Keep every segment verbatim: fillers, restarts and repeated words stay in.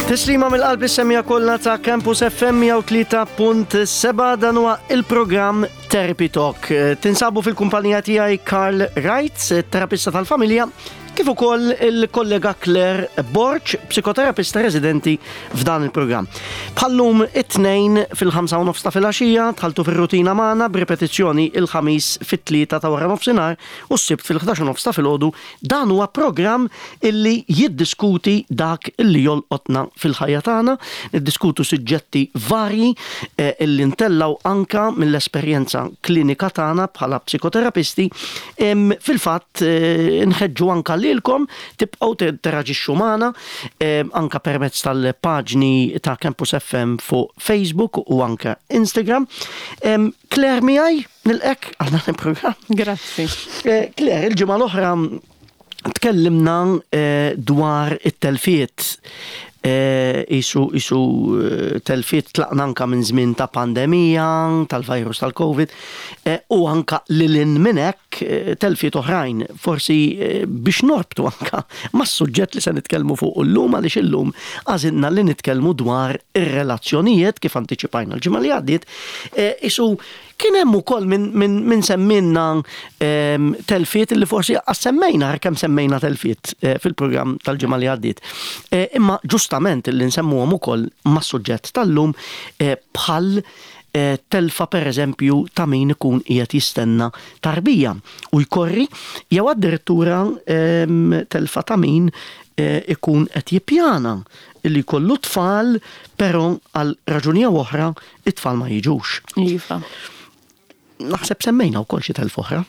Tislima mill-qalb is-semmiegħa kollha ta' Campus F M mija u tlieta punt sebgħa, dan huwa il-programm Therapy Talk. Tinsabu fil-kumpanija tiegħi Karl Wright, terapista tal-familja, kif ukoll il-kollega Claire Borch, psikoterapista residenti f'dan il-programm. Bħal-lum it-Tnejn fil-ħamsa u nofs ta' filgħaxija dħaltu fir-rutina magħna, b'ripetizzjoni il-Ħamis fit-tlieta ta' wara nofsinhar u s-Sibt fil-ħdax u nofs ta' filgħodu. Dan huwa programm illi jiddiskuti dak illi jolqotna fil-ħajja tagħna, niddiskutu suġġetti varji eh, illi ntellaw anka mill-esperjenza klinika tagħna bħala psikoterapisti. Em, Fil-fatt eh, nħeġġu anka lilkom tibqgħu tinteraġixxu magħna em, anka permezz tal-paġni ta' Campus F M fuq Facebook u anka Instagram. Em, Claire miegħi, nilqgħek għal dan il-programm. Grazzi. Eh, Claire, il-ġimgħa l-oħra tkellimna eh, dwar it-telfiet. Eh, isu isu eh, telfiet tlaqna anka minn żmien ta' pandemija, tal-virus tal-Covid, eh, u anka lil hinn minn hekk eh, telfiet oħrajn, forsi eh, biex norbtu anka mas-suġġett li se nitkellmu fuq illum, għaliex illum għażilna li nitkellmu dwar ir-relazzjonijiet kif antiċipajna l-ġimgħa li għaddiet, eh, isu kien hemm ukoll min, min, min semminna em, telfiet li forsi semmejna kemm semmejna telfiet eh, fil-programm tal-ġimgħa li għaddiet. Eh, Imma ġustament li nsemmuhom ukoll mas-suġġett tal-lum, eh, bħal eh, telfa, per eżempju, ta' min ikun qiegħed jistenna tarbija u jkorri, jew addirittura em, telfa ta' min eh, ikun qed jippjana li jkollu tfal, però għal raġuni jew oħra it-tfal ma jiġux. Iva. Naħseb semmejna wkoll xi telf oħra.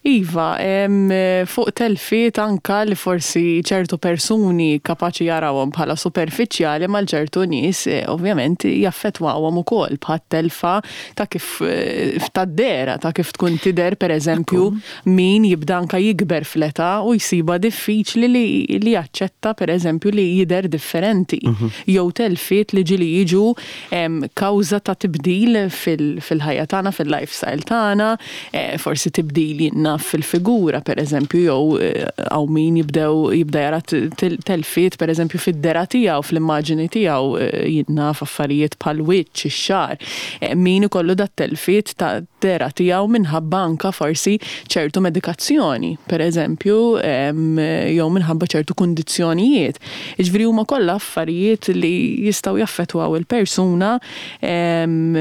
Iva, em, fuq telfiet anka li forsi ċertu persuni kapaċi jarawhom bħala superfiċjali, mal ċertu nies eh, ovvjament jaffettwawhom ukoll, bħal telfa ta' kif eh, ta' dehra, ta' kif tkun tidher, per eżempju, min jibda anka jikber fl-età u jsiba diffiċli li, li jaċċetta, per eżempju, li jidher differenti. Jew telfiet li ġieli jiġu em, kawża ta' tibdil fil- fil-ħajja tagħna, fil-lifestyle tagħna, eh, forsi tibdil jinna fil-figura, per eżempju, jew eh, hawn min jibdew jibda jara t- tel- telfiet, per eżempju, fid-dehra tiegħu, fl-immaġini tiegħu, eh, jinna f'affarijiet bħal wiċċ, ix-xagħar. Eh, Min ikollu dat telfiet ta' dehra tiegħu minħabba anka forsi ċertu medikazzjoni, per eżempju, em, jew minħabba ċertu kundizzjonijiet. Jiġifieri huma kollha affarijiet li jistgħu jaffettwaw il-persuna em,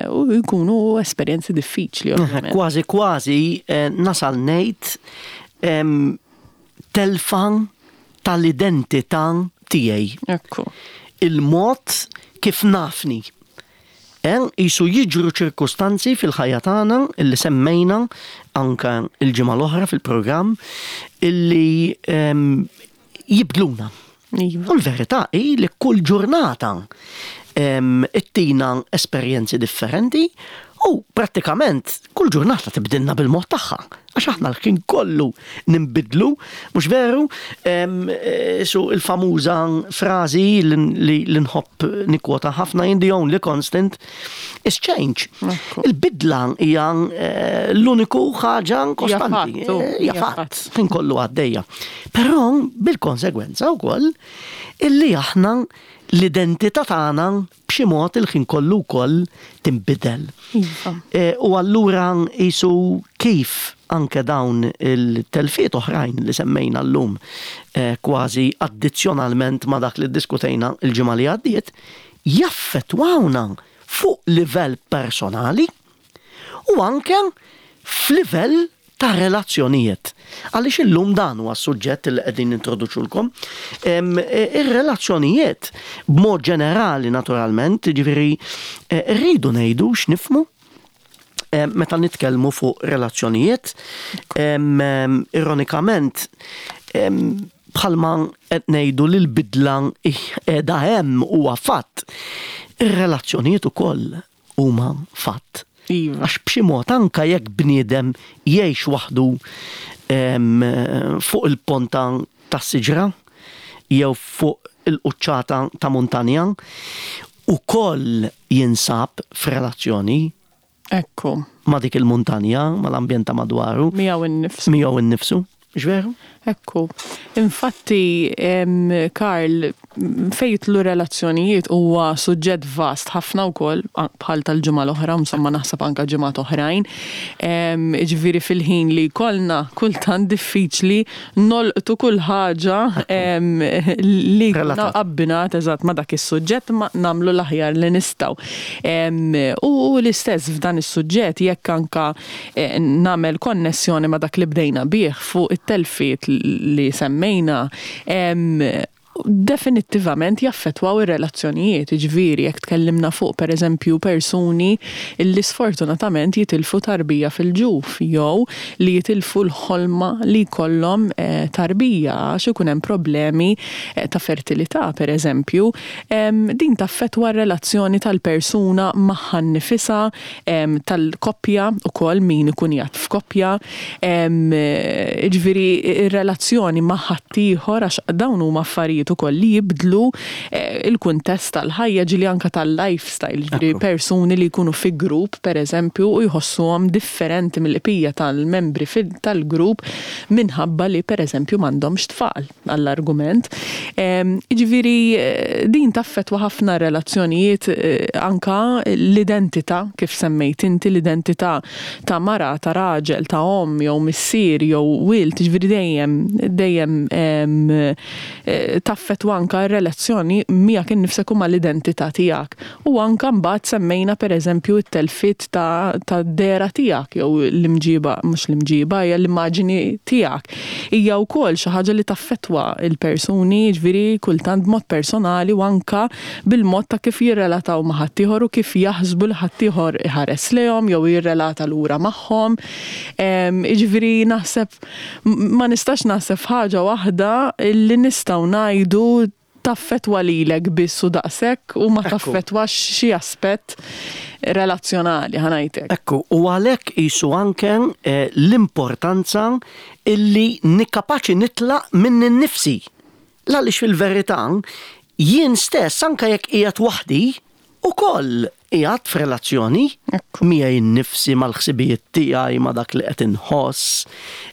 u jkunu esperjenzi diffiċli, ovvjament. Kważi kważi eh, nasal ngħid em, telfa tal-identità tiegħi. Ekku. Il-mod kif nafni. Eh, Isu jiġru ċirkustanzi fil-ħajja tagħna illi semmejna anka il-ġimgħa l-oħra fil-programm illi em, jibdluna. Iva. U l-verità hi li kull ġurnata em, ittina esperjenzi differenti u prattikament kull ġurnata tibdilna bil-mod tagħha. Għax aħna l-ħin kollu nimbidlu, mhux veru? Em, eh, Su il-famuża frażi li li nħobb nikkwota ħafna jien, "The only constant is change." Ekku. Il-bidla hija eh, l-uniku ħaġa kostanti. Hija fatt, u, Eh, Hija hija fatt, fatt. ħin kollu għaddejja. Però bil-konsegwenza wkoll illi aħna l-identità tagħna b'xi mod il-ħin kollu wkoll tinbidel. Iva. E, U allura jisu kif anke dawn il-telfiet oħrajn li semmejna llum eh, kważi addizzjonalment ma dak li diskutejna il-ġimgħa li għaddiet jaffettwawna fuq livell personali u anke f'livell ta' relazzjonijiet. Għaliex illum dan huwa s-suġġett li qegħdin nintroduċulkom. Em, e, Ir-relazzjonijiet b'mod ġenerali naturalment, ġifieri eh, rridu ngħidu x'nifhmu eh, meta nitkellmu fuq relazzjonijiet, em, em, ironikament, em, bħalma qed ngħidu li l-bidla qiegħda hemm, huwa fatt. Ir-relazzjonijiet ukoll huma fatt. Iva. Għax b'xi mod anka jekk bniedem jgħix waħdu em, fuq il-ponta tas-siġra jew fuq il-quċċata ta' muntanja, ukoll jinsab f'relazzjoni Ekku. ma' dik il-muntanja, mal-ambjent ta' madwaru, Miegħu innifsu. Miegħu innifsu. Mhux veru? Ekku. Infatti, em, Karl, Fejn jidħlu relazzjonijiet huwa suġġett vast ħafna wkoll, bħal tal-ġimgħa l-oħra, insomma, naħseb anke ġimgħat oħrajn. Ġifieri fil-ħin li jkollna kultant diffiċli nolqtu kull ħaġa li abbinat eżatt ma' dak is-suġġett, ma nagħmlu l-aħjar li nistgħu. U l-istess f'dan is-suġġett, jekk anka eh, nagħmel konnessjoni ma' dak li bdejna bih fuq it-telfiet li semmejna, definittivament jaffetwaw ir-relazzjonijiet. Ġifieri jekk tkellimna fuq, per eżempju, persuni illi sfortunatament jitilfu tarbija fil-ġuf jew li jitilfu l-ħolma li jkollhom eh, tarbija għax ikun hemm problemi eh, ta' fertilità, per eżempju, din taffetwa r-relazzjoni tal-persuna magħha nnifisha, tal-koppja ukoll, min ikun jgħid f'koppja, ġifieri ir-relazzjoni ma' ħaddieħor, għax dawn huma affarijiet ukoll li jibdlu eh, il-kuntest tal-ħajja, ġieli anka tal-lifestyle, ġifieri persuni li jkunu fi grupp, per eżempju, u jħossuhom differenti mill-bqija tal-membri tal-grupp minħabba li, per eżempju, m'għandhomx tfal, għall-argument. Ġifieri eh, din taffetwa ħafna relazzjonijiet, eh, anka l-identità, kif semmejt inti, l-identità ta' mara, ta' raġel, ta' omm jew missier jew wild, ġifieri dejjem dejjem taffetwa anka r-relazzjoni miegħek innifsek u mal-identità tiegħek. U anka mbagħad semmejna, per eżempju, it-telfiet ta', ta dehra tiegħek jew l-imġiba, mhux l-imġiba, hija l-immaġini tiegħek. Hija wkoll xi ħaġa li taffetwa il-persuni, ġifieri kultant b'mod personali u anka bil-mod ta' kif jirrelataw ma' ħaddieħor u kif jaħsbu li ħaddieħor iħares lejhom jew jirrelata lura magħhom. Ġifieri naħseb ma nistax naħseb ħaġa waħda li nistgħu ngħidu taffetwa lilek biss u daqshekk u ma taffetwax xi aspett relazzjonali, ħa ngħidlek. Ekku, u għalhekk qisu anke eh, l-importanza illi nikkapaċi nitlaq minn nifsi. Għaliex fil-verità jien stess, anke jekk qiegħed waħdi, ukoll qiegħed f'relazzjoni miegħi nnifsi, mal-ħsibijiet tiegħi, ma' dak li qed inħoss,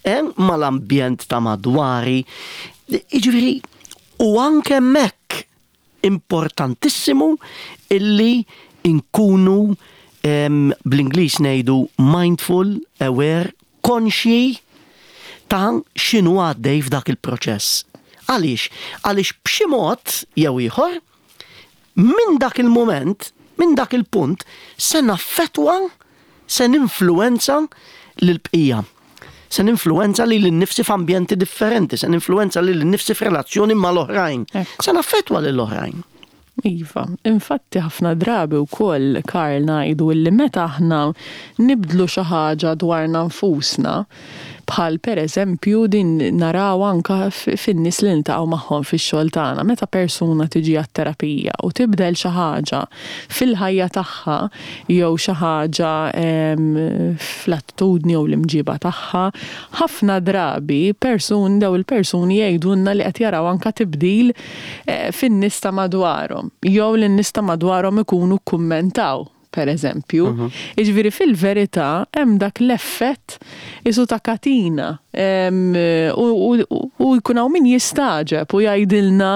eh, mal-ambjent ta' madwari. Jiġifieri, u anke hemmhekk importantissimu illi inkunu, bl-Ingliż ngħidu mindful, aware, konxji ta' x'inhu għaddej f'dak il-proċess. Għaliex? Għaliex b'xi mod jew ieħor, minn dak il-moment, minn dak il-punt, se naffetwa, se ninfluenza l-bqija. Se ninfluenza lili nnifsi f'ambjenti differenti, se ninfluenza lili nnifsi f'relazzjoni mal-oħrajn. Se naffetwa lill-oħrajn. Iva, infatti ħafna drabi wkoll, Karl, ngħidu li meta aħna nibdlu xi ħaġa dwarna nfusna, bħal per eżempju din naraw anka fin-nies li niltaqgħu magħhom fix-xogħol tagħna, meta persuna tiġi għat-terapija u tibdel xi ħaġa fil-ħajja tagħha jew xi ħaġa fl-attitudni jew l-imġiba tagħha, ħafna drabi person daw il-persuni jgħidulna li qed jaraw anka tibdil eh, fin-nies ta' madwarhom jew li n-nies ta' madwarhom ikunu kummentaw, per eżempju. Mhm. Jiġifieri fil-verità hemm dak l-effett qisu ta' katina u jkun hawn min jistagħġeb u jgħidilna: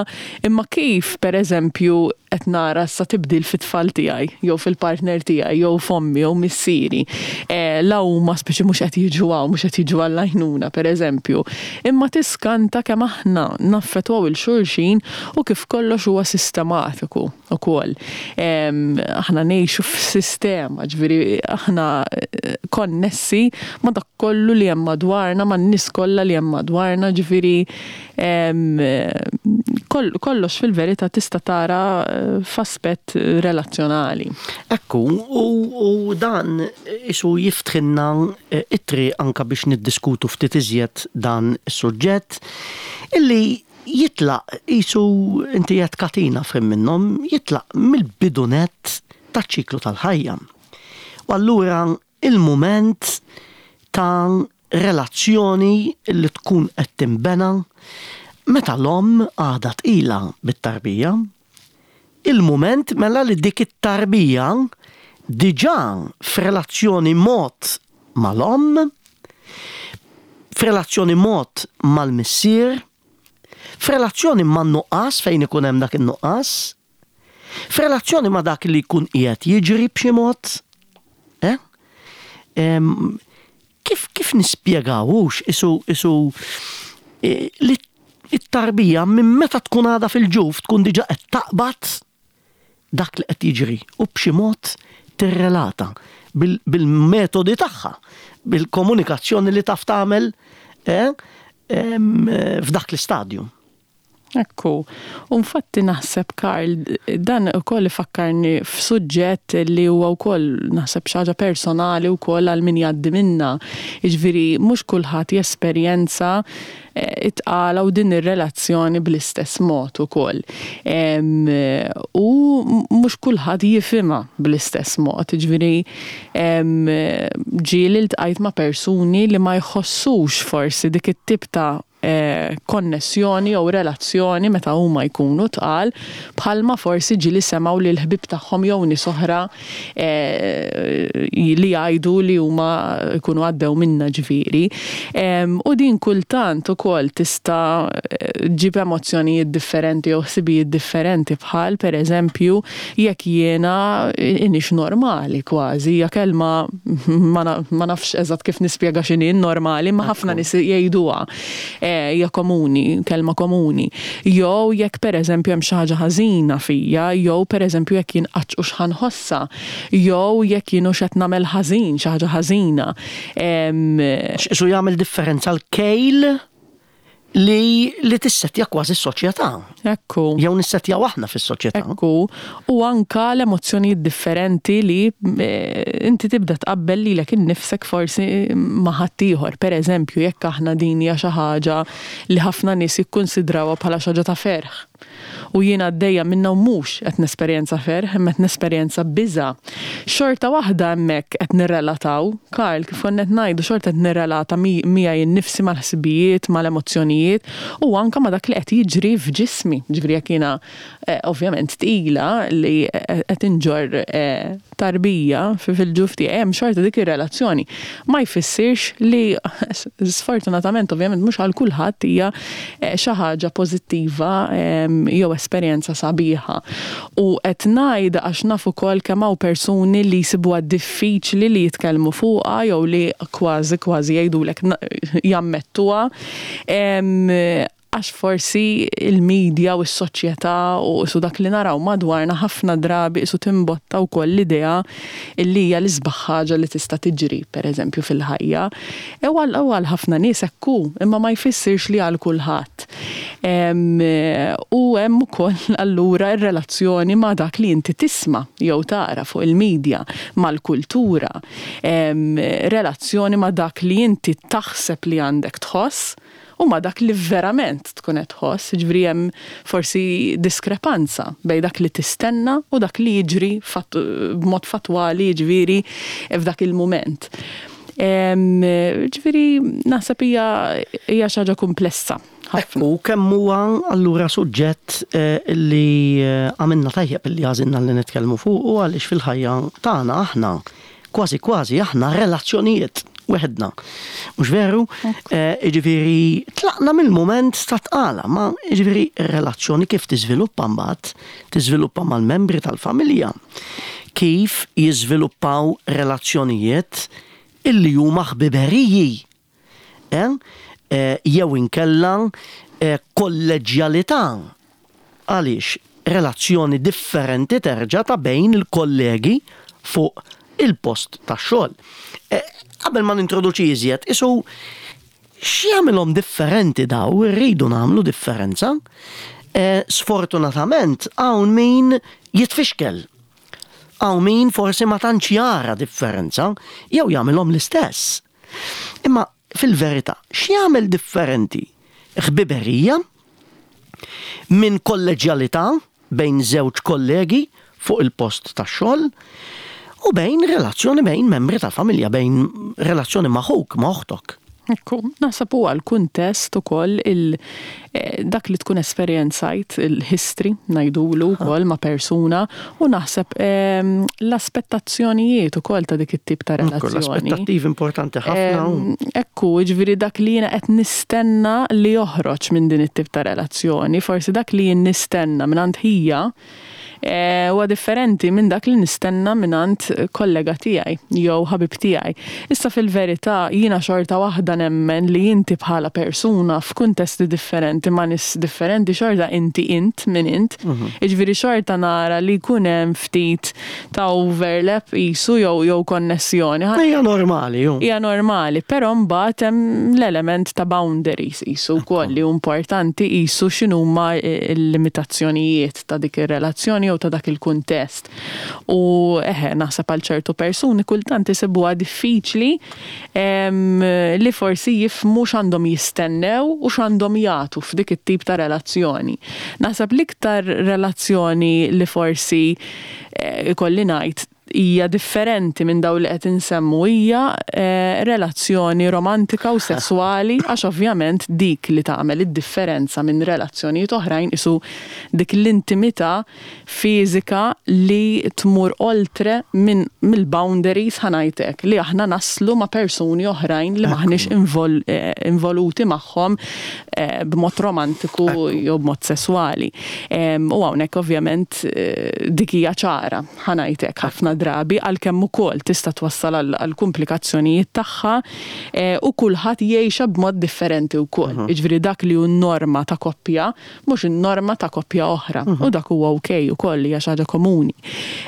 "Imma kif, per eżempju, qed nara sa tibdil fit-tfal tiegħi jew fil-partner tiegħi jew f'ommi jew missieri?" E, la huma speċi mhux qed jiġu hawn, mhux qed jiġu għall-għajnuna, per eżempju. Imma tiskanta kemm aħna naffetwaw lil xulxin u kif kollox huwa sistematiku ukoll. Aħna ngħixu f'sistema, ġifieri aħna eh, konnessi ma' dak kollu li hemm madwarna, ma' n-nies kollha li hemm madwarna, ġifieri kollox fil-verità tista' tara eh, f'aspett relazzjonali. Ekku, u, u dan qisu jiftħilna eh, it-triq anka biex niddiskutu ftit iżjed dan is-suġġett illi jitlaq qisu inti qed katina fim minnhom, jitlaq mill-bidu nett taċ-ċiklu tal-ħajja. U allura il-moment ta' relazzjoni li tkun qed tinbena meta l-omm għadha tqila bit-tarbija, il-moment mela li dik it-tarbija diġà f'relazzjoni mod mal-omm, f'relazzjoni mod mal-missier, F'relazzjoni ma' nuqqas fejn ikun hemm dak in-nuqqas, f'relazzjoni ma' dak li jkun qiegħed jiġri b'xi mod, eh? Em, kif kif nispjegawux isu isu eh, li it-tarbija minn meta tkun għadha fil-ġuf tkun diġà qed taqbad dak li qed jiġri u b'xi mod tirrelata bil- bil-metodi tagħha, bil-komunikazzjoni li taf tagħmel eh, em, eh, f'dak l-istadju. Ekku, u infatti naħseb, Karl, dan ukoll ifakkarni f'suġġett li huwa wkoll naħseb xi ħaġa personali wkoll għal min jgħaddi minna. Jiġifieri mhux kulħadd jesperjenza eh, it-tqala u din ir-relazzjoni bl-istess mod ukoll. Em, U mhux kulħadd jifhimha bl-istess mod. Jiġifieri em, ġieli ltqajt ma' persuni li ma jħossux forsi dik it-tip ta' eh, konnessjoni jew relazzjoni meta huma jkunu tqal, bħalma forsi ġieli semgħu li l-ħbib tagħhom jew nies oħra eh, li jgħidu li huma jkunu għaddew minna ġifieri. Em, U din kultant ukoll tista' eh, ġib emozzjonijiet differenti jew ħsibijiet differenti, bħal pereżempju jekk jiena inix normali kważi, hija kelma ma na- ma nafx eżatt kif nispjega x'inhi normali, ma ħafna nies jgħiduha. Eh, Hija komuni, kelma komuni. Jew jekk pereżempju hemm xi ħaġa ħażina fija, jew pereżempju jekk jien qatt hux ħa nħossha, jew jekk jien hux qed nagħmel ħażin, xi ħaġa ħażina. Em, X'isu jagħmel differenza l-kejl li li tissettja kważi s-soċjetà. Ekku. Jew nissettjaw aħna fis-soċjetà. Ekku, u anka l-emozzjonijiet differenti li eh, inti tibda tqabbel lilek innifsek forsi ma' ħaddieħor. Per eżempju, jekk aħna din hija xi ħaġa li ħafna nies jikkunsidrawha bħala xi ħaġa ta' ferħ. U jiena għaddejja minna u mhux qed nesperjenza ferħ, imma qed nesperjenza biża'. Xorta waħda hemmhekk qed nirrelataw, Karl, kif konna qed ngħidu, xorta qed nirrelata mi- miegħi nnifsi mal-ħsibijiet, mal-emozzjonijiet u anka ma' dak li qed jiġri f'ġismi. Ġifieri jekk jiena eh, ovvjament tqila li qed inġorr eh, tarbija fi- fil-ġuf tiegħi, hemm xorta dik ir-relazzjoni. Ma jfissirx li sfortunatament ovvjament mhux għal kulħadd hija eh, xi ħaġa pożittiva em, jew esperjenza sabiħa. U qed ngħid għax naf ukoll kemm hawn persuni li jsibuha diffiċli li jitkellmu fuqha jew li kważi kważi jgħidulek na- jammettuha. Em, Għax forsi il-medja u s-soċjetà u su dak li naraw madwarna ħafna drabi su timbotta wkoll l-idea illi hija l-isbaħ ħaġa li tista' tiġri, per eżempju, fil-ħajja. E għal għal ħafna nies ekku, imma ma jfissirx li għal kulħadd. Em, U hemm ukoll allura r-relazzjoni ma' dak li inti tisma' jew tara fuq il-medja, mal-kultura, Em, relazzjoni ma' dak li inti taħseb li għandek tħoss u ma dak li verament tkun qed tħoss, ġifieri hemm forsi diskrepanza bejn dak li tistenna u dak li jiġri fat- b'mod fatwali, ġifieri f'dak il-mument. Em, Ġifieri naħseb hija hija xi ħaġa komplessa ħafna. U kemm huwa allura suġġett eh, li eh, għamilna tajjeb li għażilna li nitkellmu fuq u għaliex fil-ħajja tagħna aħna kważi kważi aħna relazzjonijiet weħedna. Mhux veru? Eh, Jiġifieri tlaqna mill-moment ta' tqala, ma jiġifieri relazzjoni kif tiżviluppa mbagħad, tiżviluppa mal-membri tal-familja. Kif jiżviluppaw relazzjonijiet illi huma ħbiberiji. Eh? Eh, jew inkella eh, kolleġjalità. Għaliex relazzjoni differenti terġa' ta' bejn il-kollegi fuq il-post ta' xogħol. Eh, Qabel ma nintroduċi iżjed, isu x'jagħmilhom differenti daw, irridu nagħmlu differenza. Eh, Sfortunatament hawn min jitfixkel. Hawn min forsi ma tantx jara differenza jew jagħmilhom l-istess. Imma fil-verità, x'jagħmel differenti? Ħbiberija minn kolleġjalità bejn żewġ kollegi fuq il-post tax-xogħol u bejn relazzjoni bejn membri tal-familja, bejn relazzjoni ma' ħuk, ma' oħtok. Ekku, naħseb huwa l-kuntest ukoll il eh, dak li tkun esperjenzajt il-history ngħidulu wkoll ma' persuna u naħseb ehm, l-aspettazzjonijiet ukoll ta' dik it-tip ta' relazzjoni. L-aspettattivi importanti ħafna. Ehm, ekku, ġifieri dak li jiena qed nistenna li joħroġ minn din it-tip ta' relazzjoni, forsi dak li jien nistenna minn ħija eh, huwa differenti minn dak li nistenna mingħand kollega tiegħi jew ħabib tiegħi. Issa fil-verità jiena xorta waħda nemmen li inti bħala persuna f'kuntesti differenti ma' nies differenti xorta inti int minn int. Mhm. Jiġifieri xorta nara li jkun hemm ftit ta' overlap qisu jew jew konnessjoni. Hija normali, ju. Hija normali, però mbagħad hemm l-element ta' boundaries qisu wkoll li hu importanti qisu x'inhuma l-limitazzjonijiet ta' dik ir-relazzjoni jew ta' dak il-kuntest. U eħe, naħseb għal ċertu persuni kultant isibuha diffiċli li forsi jifhmu x'għandhom jistennew u x'għandhom jagħtu f'dik it-tip ta' relazzjoni. Naħseb l-iktar relazzjoni li forsi eh, ikolli ngħid hija differenti minn dawn li qed insemmu hija eh, relazzjoni romantika u sesswali, għax ovvjament dik li tagħmel id-differenza minn relazzjonijiet oħrajn isu dik l-intimità fiżika li tmur oltre minn mill-boundaries, ħa ngħidlek, li aħna naslu ma' persuni oħrajn li maħniex invol, eh, involuti magħhom eh, b'mod romantiku jew b'mod sesswali. U hawnhekk ovvjament dik hija ċara, ħa ngħidlek, ħafna drabi, għalkemm ukoll tista' twassal għal komplikazzjonijiet tagħha eh, u kulħadd jgħixha b'mod differenti wkoll. Mhm. Jiġifieri dak li hu norma ta' koppja mhux in-norma ta' koppja oħra. Mhm. U dak huwa okej ukoll, hija xi ħaġa komuni.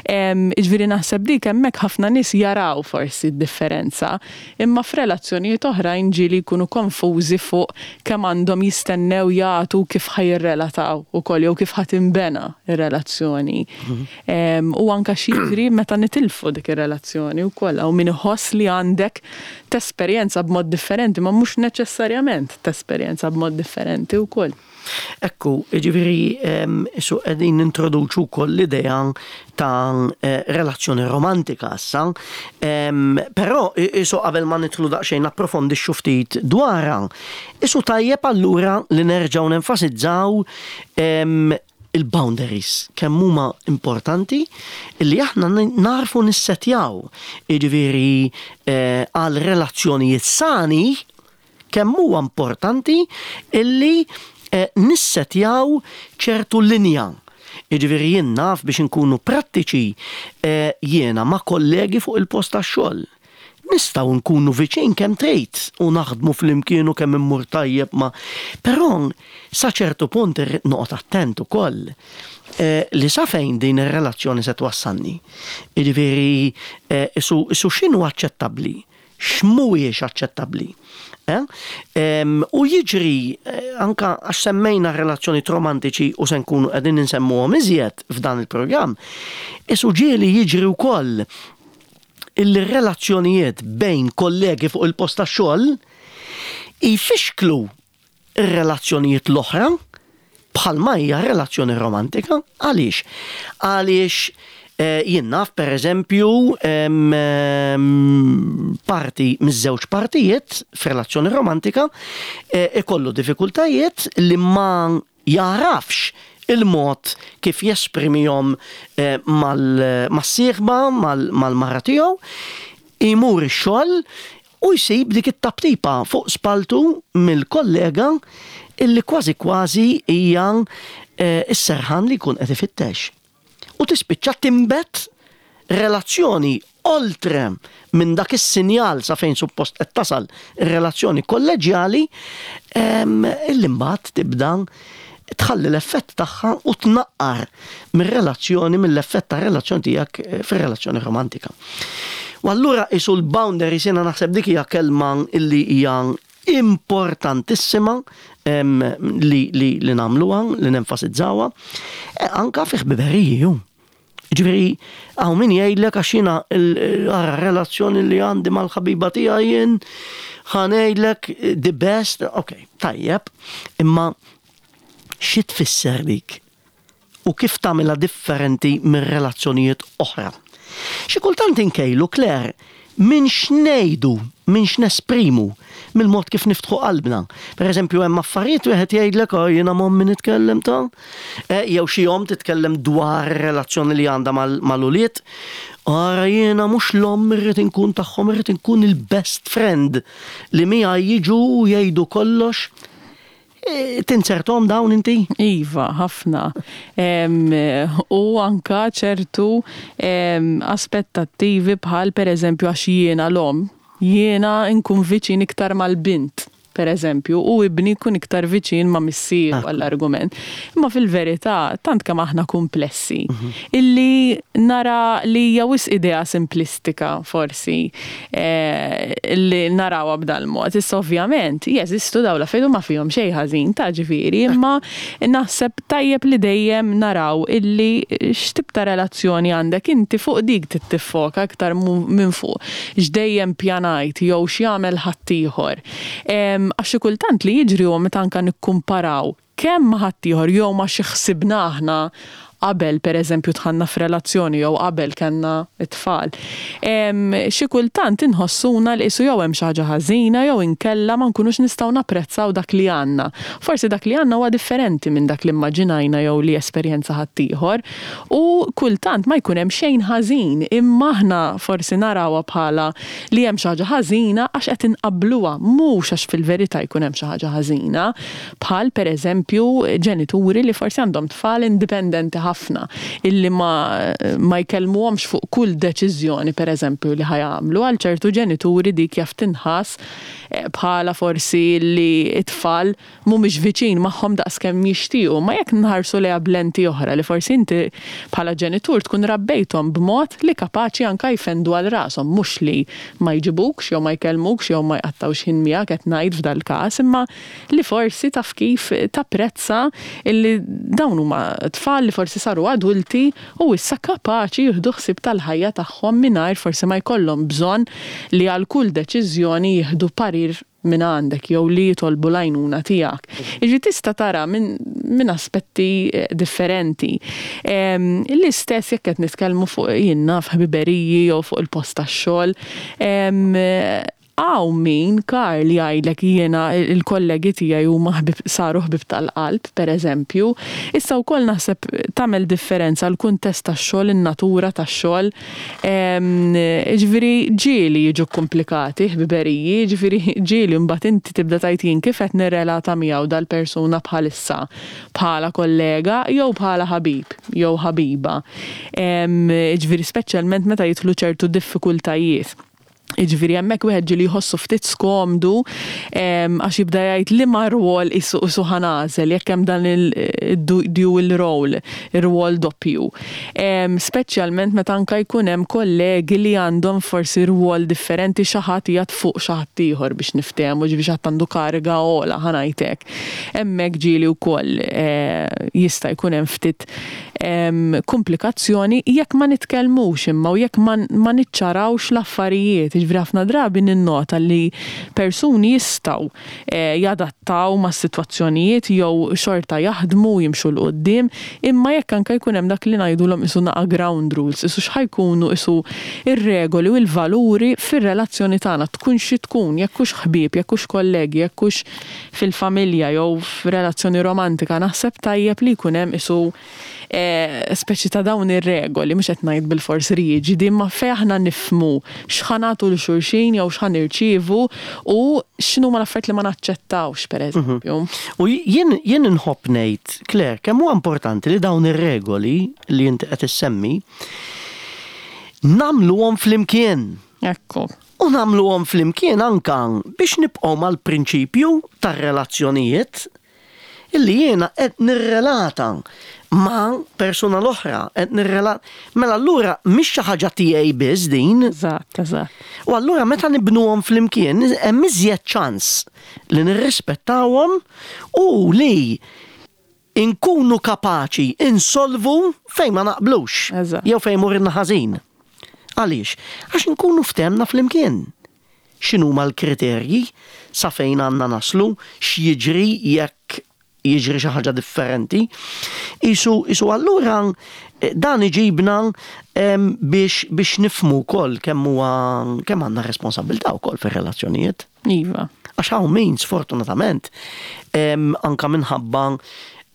Jiġifieri naħseb dik hemmhekk ħafna nies jaraw forsi d-differenza, imma f'relazzjonijiet oħrajn ġieli jkunu konfużi fuq kemm għandhom jistennew jagħtu, kif ħa jirrelataw ukoll jew kif ħa tinbena ir-relazzjoni. Mhm. U anka x'jiġri meta nitilfu dik ir-relazzjoni wkoll, hawn min iħoss li għandek tesperjenza b'mod differenti, ma mhux neċessarjament tesperjenza b'mod differenti wkoll. Ekku, ġifieri, su qegħdin nintroduċu wkoll l-idea ta' eh, relazzjoni romantika issa, però isu qabel ma nidħlu daqsxejn approfondixxu ftit dwarha, isu tajjeb allura li nerġgħu nenfasizzaw il-boundaries, kemm huma importanti li aħna narfu nissetjaw, jiġifieri eh, għal relazzjonijiet sani kemm huwa importanti illi eh, nissetjaw ċertu linja. Jiġifieri jien naf, biex inkunu prattiċi, eh, jiena ma' kollegi fuq il-post tax-xogħol. Nistgħu nkunu viċin kemm trid u naħdmu flimkien u kemm immur tajjeb ma. Però sa ċertu punt irrid noqgħod attent ukoll eh, li sa fejn din ir-relazzjoni se twassalni. Jiġifieri eh, isu, isu x'inhu aċċettabbli, x'mhuwiex aċċettabbli. Eh? Em, u jiġri eh, anka għax semmejna relazzjoni romantiċi u se nkunu qegħdin insemmuhom iżjed f'dan il-programm, isu ġieli jiġri wkoll il-relazzjonijiet bejn kollegi fuq il-post tax-xogħol jfixklu ir-relazzjonijiet l-oħra bħalma hija relazzjoni romantika. Għaliex? Għaliex eh, jien naf, per eżempju, em, em, parti miż-żewġ partijiet f'relazzjoni romantika eh, ikollu diffikultajiet li ma jarafx il-mod kif jesprimihom eh, mal- mas-sieħba, mal-mara tiegħu, imur ix-xogħol u jsib dik it-taptipa fuq spaltu mill-kollega illi kważi kważi hija eh, is-serħan li jkun qed ifittex. U tispiċċa timbet relazzjoni oltre minn dak is-sinjal sa fejn suppost qed tasal ir-relazzjoni kolleġjali em, illi mbagħad tibda tħalli l-effett tagħha u tnaqqar mir-relazzjoni, mill-effett ta' relazzjoni tiegħek eh, fir-relazzjoni romantika. U allura isu l-boundaries, jiena naħseb dik hija kelma illi hija importantissima em, li, li, li nagħmluha, li nenfasizzawha, e anka fi ħbiberiji ju. Ġifieri, hawn min jgħidlek, għax jiena il- relazzjoni li għandi mal-ħabiba tiegħi jien ħa ngħidlek the best, ok, tajjeb, imma xi tfisser dik? U kif tagħmilha differenti minn relazzjonijiet oħra? Xi kultant inkejlu, Claire, Minn x'ngħidu, minn x'nesprimu, mill-mod kif niftħu qalbna. Per eżempju, hemm affarijiet wieħed jgħidlek, "Oh, jiena m'ommi nitkellem ta'." Eh, jew xi omm titkellem dwar relazzjoni li għandha mal-ulied. "Ara, jiena mhux l-omm irrid inkun tagħhom, irrid inkun il-best friend li miegħi jiġu u jgħidu kollox." E, tinzertahom dawn inti? Iva, ħafna. U anka ċertu aspettattivi bħal, per eżempju, għax jiena l-omm, jiena nkun viċin iktar mal-bint, per eżempju, u ibni jkun iktar viċin ma' missier, ah. għall-argument. Imma fil-verità, tant kemm aħna komplessi, mhm. illi nara li hija wisq idea simplistika forsi eh, li narawha b'dal-mod. Issa ovvjament, jeżistu dawn l-affarijiet, ma fihom xejn ħażin ta' ġifieri, imma naħseb tajjeb li dejjem naraw illi x'tip ta' relazzjoni għandek inti, fuq dik tiffoka aktar minn fuq x'dejjem pjanajt jew x'jagħmel ħaddieħor. Għax xi kultant li jiġri huwa meta anka nikkumparaw kemm ma' ħaddieħor jew ma xi ħsibna aħna qabel, per eżempju, dħalna f'relazzjoni jew qabel kellna it-tfal. Xi kultant inħossuna li qisu jew hemm xi ħaġa ħażina jew inkella ma nkunux nistgħu napprezzaw dak li għandna. Forsi dak li għandna huwa differenti minn dak li immaġinajna jew li esperjenza ħaddieħor u kultant ma jkun hemm xejn ħażin, imma aħna forsi narawha bħala li hemm xi ħaġa ħażina għax qed inqabbluha, mhux għax fil-verità jkun hemm xi ħaġa ħażina. Bħal, per eżempju, ġenituri li forsi għandhom tfal indipendenti ħafna illi ma, ma jkellmuhomx fuq kull deċiżjoni, per eżempju, li ħa jagħmlu. Għal ċertu ġenituri dik jaf tinħass eh, bħala forsi li it-tfal mhumiex viċin magħhom daqskemm jixtiequ, ma jekk nħarsu lejha b'lenti oħra li forsi inti bħala ġenitur tkun rabbejthom b'mod li kapaċi anka jfendu għal rashom, mhux li ma jġibukx jew ma jkellmukx jew ma jqattawx ħin miegħek qed ngħid f'dal-każ, imma li forsi taf kif tapprezza illi dawn huma tfal li forsi saru adulti u issa kapaċi jieħdu ħsieb tal-ħajja tagħhom mingħajr forsi ma jkollhom bżonn li għal kull deċiżjoni jieħdu parir minn għandek jew li jitolbu l-għajnuna tiegħek. Iġi tista' tara minn min aspetti eh, differenti. L-istess jekk qed nitkellmu fuq, jien naf, ħbiberiji jew fuq il-post tax-xogħol. Hawn min, Karl, jgħidlek, "Jiena il-kollegi tiegħi huma ħbib, saru ħbib tal-qalb," per eżempju. Issa wkoll naħseb tagħmel differenza l-kuntest tax-xogħol, in-natura tax-xogħol. Ġifieri ġieli jiġu komplikati ħbiberiji, ġifieri ġieli mbagħad inti tibda tgħid, "Jien kif qed nirrelata miegħu dal-persuna bħalissa, bħala kollega jew bħala ħabib jew ħabiba?" Ġifieri speċjalment meta jidħlu ċertu diffikultajiet. Iġifieri hemmhekk wieħed ġieli jħossu ftit skomdu għax jibda jgħid li ma rwol isu isu ħa nagħżel jekk hemm dan il-dual role, ir-rwol doppju. Speċjalment meta anka jkun hemm kollegi li għandhom forsi rwol differenti, xi ħadd qiegħed fuq xi ħadd ieħor biex niftehmu, ġifieri xi ħadd għandu kariga ogħla, ħa ngħidlek. Hemmhekk ġieli wkoll eh, jista' jkun hemm ftit komplikazzjoni jekk ma nitkellmux imma u jekk ma niċċarawx l-affarijiet. Ġifieri ħafna drabi ninnota li persuni jistgħu eh, jadattaw ma' situazzjonijiet jew xorta jaħdmu, jimxu 'l quddiem, imma jekk anka jkun hemm dak li ngħidulhom isu naqa ground rules, isu x'ħa jkunu isu ir-regoli u l-valuri fir-relazzjoni tagħna, tkun xi tkun, jekk hux ħbieb, jekk hux kollegi, jekk hux fil-familja jew f'relazzjoni romantika, naħseb tajjeb li jkun hemm isu eh, speċi ta' dawn ir-regoli, mhux qed ngħid bil-fors riġidi, imma fejn aħna nifhmu x'ħa nagħtu lil xulxin jew x'ħa nirċievu u x'inhuma l-affarijiet li ma naċċettawx, per eżempju. U jien jien inħobb ngħid, Claire, kemm huwa importanti li dawn ir-regoli li inti qed issemmi nagħmluhom flimkien. Ekku. U nagħmluhom flimkien anka biex nibqgħu mal-prinċipju tar-relazzjonijiet illi jiena qed nirrelata ma' persuna l-oħra, qed nirrelata. Mela allura mhix xi ħaġa tiegħi biss din. Eżatt, eżatt. U allura meta nibnuhom flimkien hemm iżjed ċans li nirrispettawhom u li inkunu kapaċi insolvu fejn ma naqblux Eżatt. jew fejn morna ħażin. Għaliex? Għax nkunu ftehemna flimkien. X'inhuma l-kriterji, sa fejn għandna naslu, x'jiġri jekk jiġri xi ħaġa differenti. Isu, isu allura eh, dan iġibna em, biex, biex nifhmu wkoll kemm huwa kemm għandna responsabilità wkoll fir-relazzjonijiet. Iva. Għax hawn min sfortunatament em, anka minħabba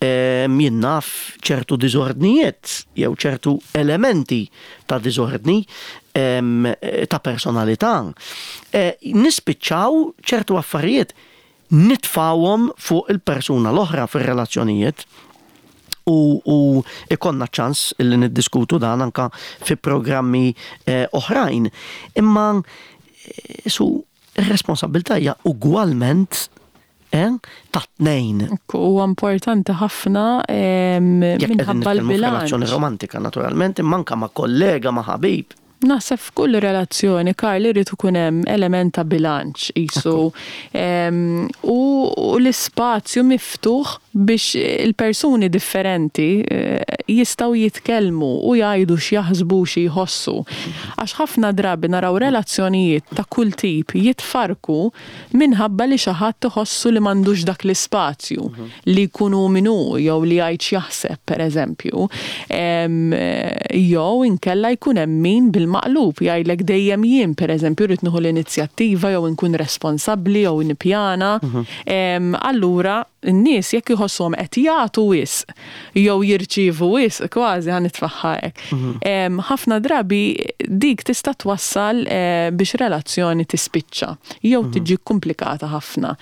em, jien naf ċertu diżordnijiet jew ċertu elementi ta' diżordni em, ta' personalità. Eh, nispiċċaw ċertu affarijiet nitfawhom fuq il-persuna l-oħra fir-relazzjonijiet u, u ikollna ċans illi niddiskutu dan anka fi programmi eh, oħrajn. Imma eh, su ir-responsabilità hija ugwalment eh, ta' tnejn. Huwa importanti ħafna em, Jekk qegħdin minħabba nitkellmu f'relazzjoni l-bilanċ. romantika naturalment, imma anka ma' kollega, ma' ħabib. Naħseb f'kull relazzjoni, Karl, irid ikun hemm element ta' bilanċ qisu em, u u l-ispazju miftuħ biex il-persuni differenti eh, jistgħu jitkellmu u jgħidu x'jaħsbu xi jħossu. Għax ħafna drabi naraw relazzjonijiet ta' kull tip jitfarku minħabba li xi ħadd iħossu li m'għandux dak l-ispazju li jkunu minnu jew li jgħid x'jaħseb pereżempju. Em, Jew inkella jkun hemm min bil-maqlub jgħidlek dejjem jien pereżempju rrid nieħu l-inizjattiva jew inkun responsabbli jew nippjana. Em, Allura n-nies jekk iħossuhom qed jagħtu wisq jew jirċievu wisq kważi ħa nitfagħha hekk. Em, Ħafna drabi dik tista' twassal eh, biex relazzjoni tispiċċa jew tiġi komplikata ħafna.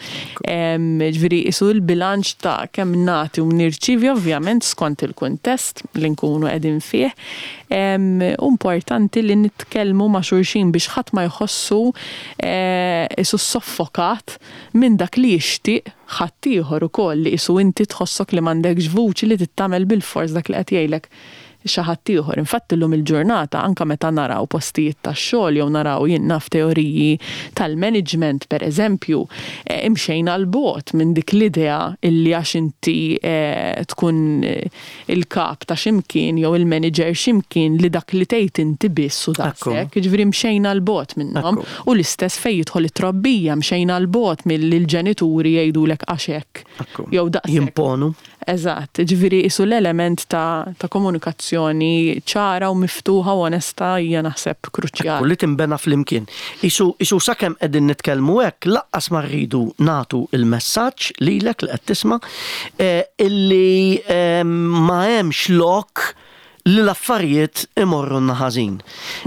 Em, Ġifieri isu l-bilanċ ta' kemm nagħti u nirċievi ovvjament skont il-kuntest li nkunu qegħdin fih. Em, Importanti li nitkellmu ma' xulxin biex ħadd ma jħossu eh, isu soffokat minn dak li jixtieq ħaddieħor ukoll li isu inti tħossok li m'għandekx vuċi li tittamel bil-fors dak li qed jgħidlek xi ħadd ieħor. Infatti llum il-ġurnata anka meta naraw postijiet tax-xogħol jew naraw jien naf teoriji tal-management pereżempju, eh, imxejna 'l bogħod minn dik l-idea illi għax inti eh, tkun eh, il-kap ta' ximkien jew il-manager ximkien li dak li tgħid inti biss u daqshekk. Jiġifieri mxejna 'l bogħod minnhom. Ekku. U l-istess fejn jidħol it-trobbija mxejna 'l bogħod mill-ġenituri jgħidulek għax hekk. Ekku. Jew daqshekk. Jimponu. Eżatt, ġifieri isu l-element ta', ta' komunikazzjoni ċara u miftuħa u onesta hija naħseb Ekku, kruċjali. li timbena flimkien. Isu, isu sakemm qegħdin nitkellmu hekk, lanqas ma rridu nagħtu il-messaġġ lilek li qed tisma' eh, illi eh, ma hemmx lok li l-affarijiet imorru ħażin.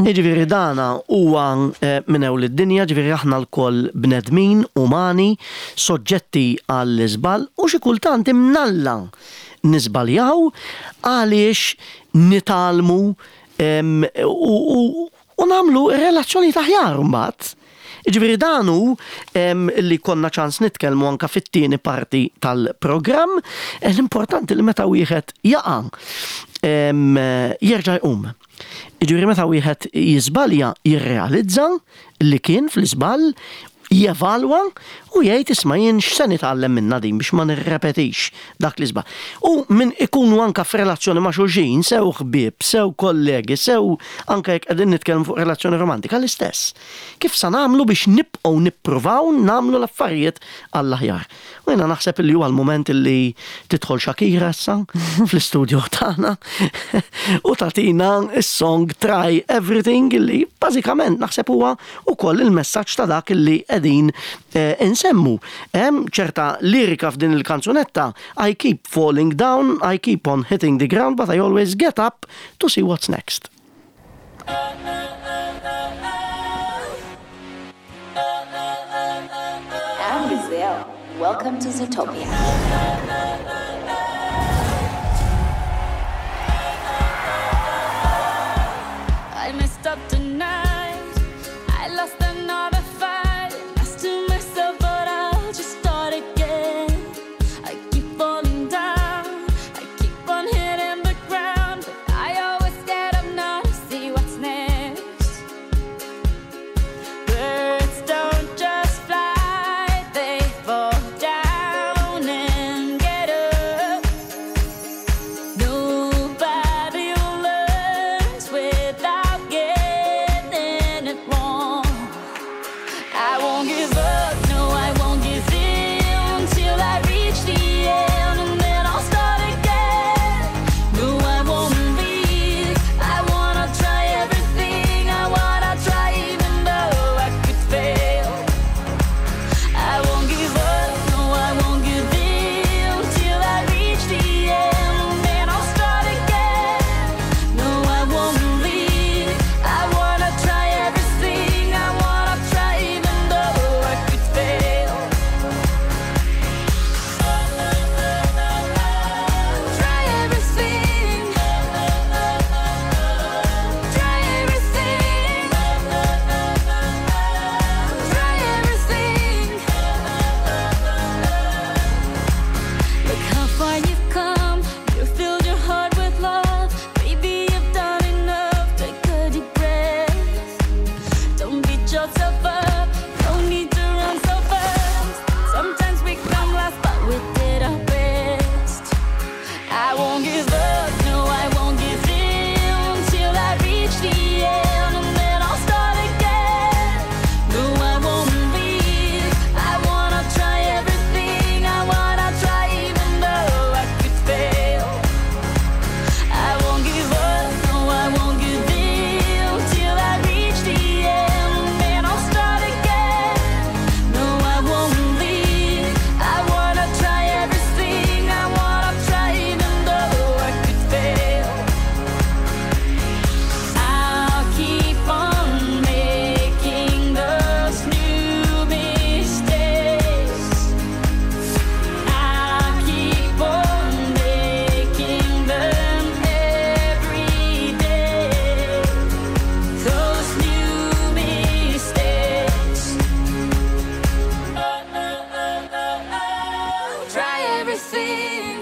Jiġifieri dana huwa eh, minn ewl id-dinja, ġifieri aħna lkoll bnedmin, umani, soġġetti għall-iżball u xi kultant imnalla niżbaljaw għaliex nitgħallmu em, u, u, u nagħmlu relazzjoni aħjar mbagħad. Ġifieri dan hu em, li konna ċans nitkellmu anka fit-tieni parti tal-programm, eh, l-importanti li meta wieħed jaqa' em, jerġa' jqum. Ġifieri meta wieħed jiżbalja jirrealizza li kien fl-iżball, jevalwa u jgħid isma' jien x'se nitgħallem minna din biex ma nirrepetix dak li żball. U min ikunu anka f'relazzjoni ma' xulxin, sew ħbieb, sew kollegi, sew anka jekk qegħdin nitkellmu fuq relazzjoni romantika l-istess. Kif sa nagħmlu biex nibqgħu nippruvaw nagħmlu l-affarijiet għall-aħjar. U jiena naħseb li huwa l-mument li tidħol Shakira issa fl-istudio tagħna u tagħtina s-song Try Everything li bażikament naħseb huwa ukoll il-messaġġ ta' dak li qegħdin eh, insemmu. Hemm ċerta lirika f'din il-kanzunetta I keep falling down, I keep on hitting the ground, but I always get up to see what's next. I'm Gazelle. Welcome to Zootopia. I messed up tonight. I lost another fight. Lost to myself, but I'll just start again. I keep falling down. I keep on hitting the ground. But I always get up now to see what's next. Birds don't just fly, they fall down and get up. Nobody learns without getting everything.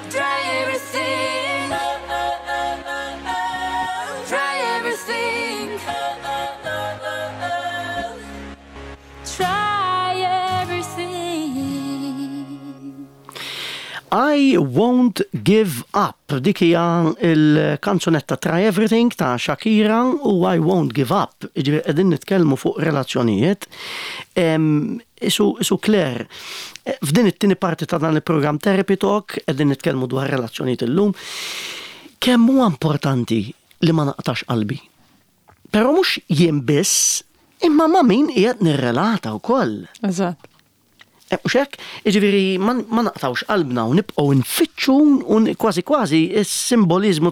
Try everything. Try everything. Try everything. I Won't Give Up. Dik hija il-kanzunetta Try Everything ta' Shakira u I Won't Give Up. Jiġifieri qegħdin nitkellmu fuq relazzjonijiet. Em, Isu, isu Claire, eh, f'din it-tieni parti ta' dan il-programm Therapy Talk qegħdin nitkellmu dwar relazzjonijiet illum. Kemm huwa importanti li ma naqtax qalbi? Però mhux jien biss, imma ma' min qiegħed nirrelata wkoll. Eżatt. Eh, U xek, jiġifieri, ma ma naqtawx qalbna u nibqgħu nfittxu u kważi kważi is-simbolizmu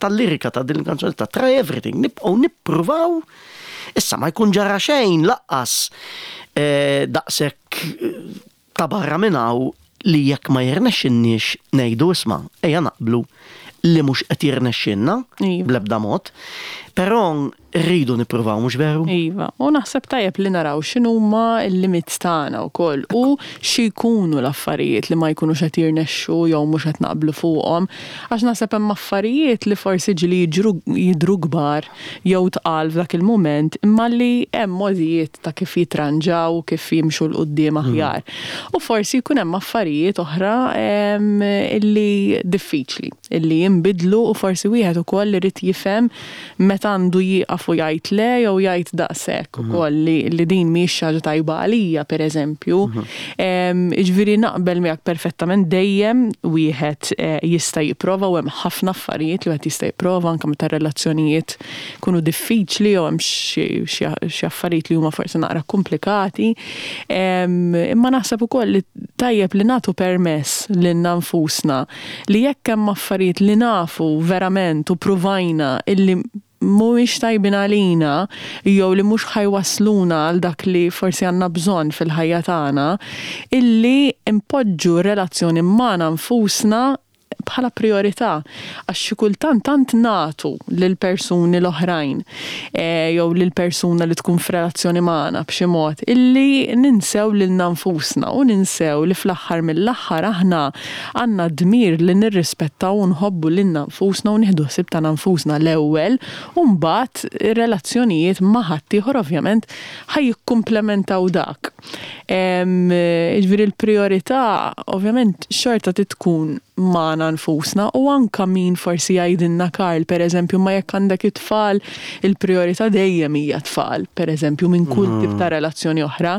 tal-lirika ta' din il-kanzunetta ta' Try Everything, nibqgħu nippruvaw. Issa ma jkun ġara xejn lanqas eh, daqshekk eh, ta' barra minn hawn li jekk ma jirnexxinniex ngħidu isma' ejja naqblu li mhux qed jirnexxinna Iva. bl-ebda mod, però rridu nippruvaw mhux veru? Iva, u naħseb tajjeb li naraw x'inhuma l-limits tagħna wkoll u xi jkunu l-affarijiet li ma jkunux qed jirnexxu jew mhux qed naqblu fuqhom, għax naħseb hemm affarijiet li forsi ġieli jiġru jidru kbar jew tqal f'dak il-mument, imma li hemm modijiet ta' kif jitranġaw, kif jimxu 'l quddiem aħjar. U forsi jkun hemm affarijiet oħra em, illi diffiċli, illi jinbidlu u forsi wieħed ukoll irid jifhem meta għandu jieqaf u jgħid le jew jgħid daqshekk ukoll li, li din mhix xi ħaġa tajba għalija pereżempju. Em, Jiġifieri naqbel miegħek perfettament dejjem wieħed eh, jista' jipprova u hemm ħafna affarijiet li wieħed jista' jipprova anke meta relazzjonijiet kunu diffiċli jew hemm xi xi- xi affarijiet li huma forsi naqra komplikati. Em, Imma naħseb ukoll li tajjeb li nagħtu permess lilna nfusna li jekk hemm affarijiet li nafu verament u pruvajna illi mhuwiex tajbin għalina jew li mhux ħa jwassluna għal dak li forsi għandna bżonn fil-ħajja tagħna, illi impoġġu relazzjoni magħna nfusna bħala priorità għax xi kultant tant nagħtu lil persuni l-oħrajn eh, jew lil persuna li tkun f'relazzjoni magħna b'xi mod illi ninsew lilna nfusna u ninsew li fl-aħħar mill-aħħar aħna għandna dmir li nirrispettaw u nħobbu lilna nfusna u nieħdu ħsieb tagħna nfusna l-ewwel u mbagħad ir-relazzjonijiet ma' ħaddieħor ovvjament ħa jikkumplementaw dak. Em, Jiġifieri l-priorità ovvjament xorta tkun magħna nfusna u anka min forsi jgħidilna Karl per eżempju ma jekk għandek it-tfal il-priorità dejjem hija tfal per eżempju minn kull tip ta' relazzjoni oħra.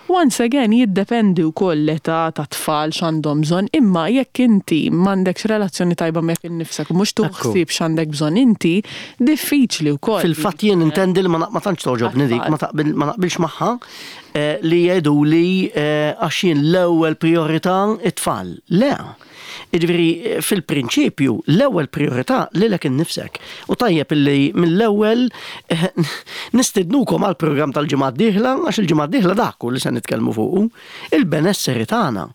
Once again jiddependi wkoll l-età ta' tfal x'għandhom bżonn, imma jekk inti m'għandekx relazzjoni tajba miegħek innifsek u mhux Ekku. tuħsib x'għandek bżonn inti, diffiċli wkoll. Fil-fatt jien intendi li ma ma tantx toġobni dik, ma taqbil ma naqbilx magħha eh, li jgħidu li eh, għax jien l-ewwel priorità it-tfal. Le. Jiġifieri eh, fil-prinċipju l-ewwel priorità lilek innifsek. U tajjeb illi mill-ewwel eh, nistidnukom għal programm tal-ġimgħa d-dieħla għax il-ġimgħa d-dieħla dak hu li se nitkellmu fuqu, il-benesseri tagħna.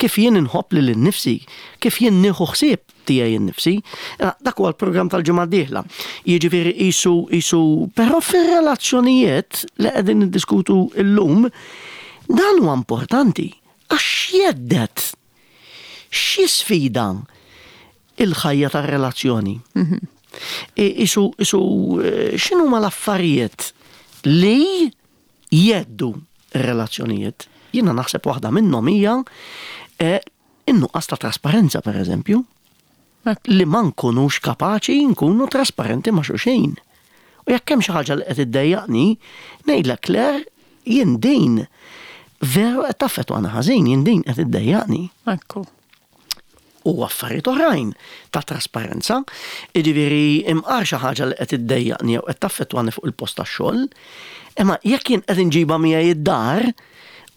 Kif jien inħobb lil innifsi, kif jien nieħu ħsieb tiegħi innifsi, eh, dak huwa l-programm tal-ġimgħa d-dieħla. Jiġifieri qisu qisu però fir-relazzjonijiet li qegħdin niddiskutu llum, dan huwa importanti għax jheddet xi sfida il-ħajja tar-relazzjoni. I- Isu, isu, eh, x'inhuma l-affarijiet li jheddu r-relazzjonijiet? Jiena naħseb waħda minnhom hija eh, in-nuqqas ta' trasparenza, per eżempju, li ma nkunux kapaċi nkunu trasparenti ma' xulxin. U jekk hemm xi ħaġa li qed iddejjaqni, ngħidlek Claire, jien din veru qed taffettwani ħażin, jien din qed iddejjaqni Ekku. u affarijiet oħrajn ta' trasparenza, jiġifieri imqar xi ħaġa li qed iddejjaqni jew qed taffettwani fuq il-post tax-xogħol, imma jekk jien qed inġibha miegħi id-dar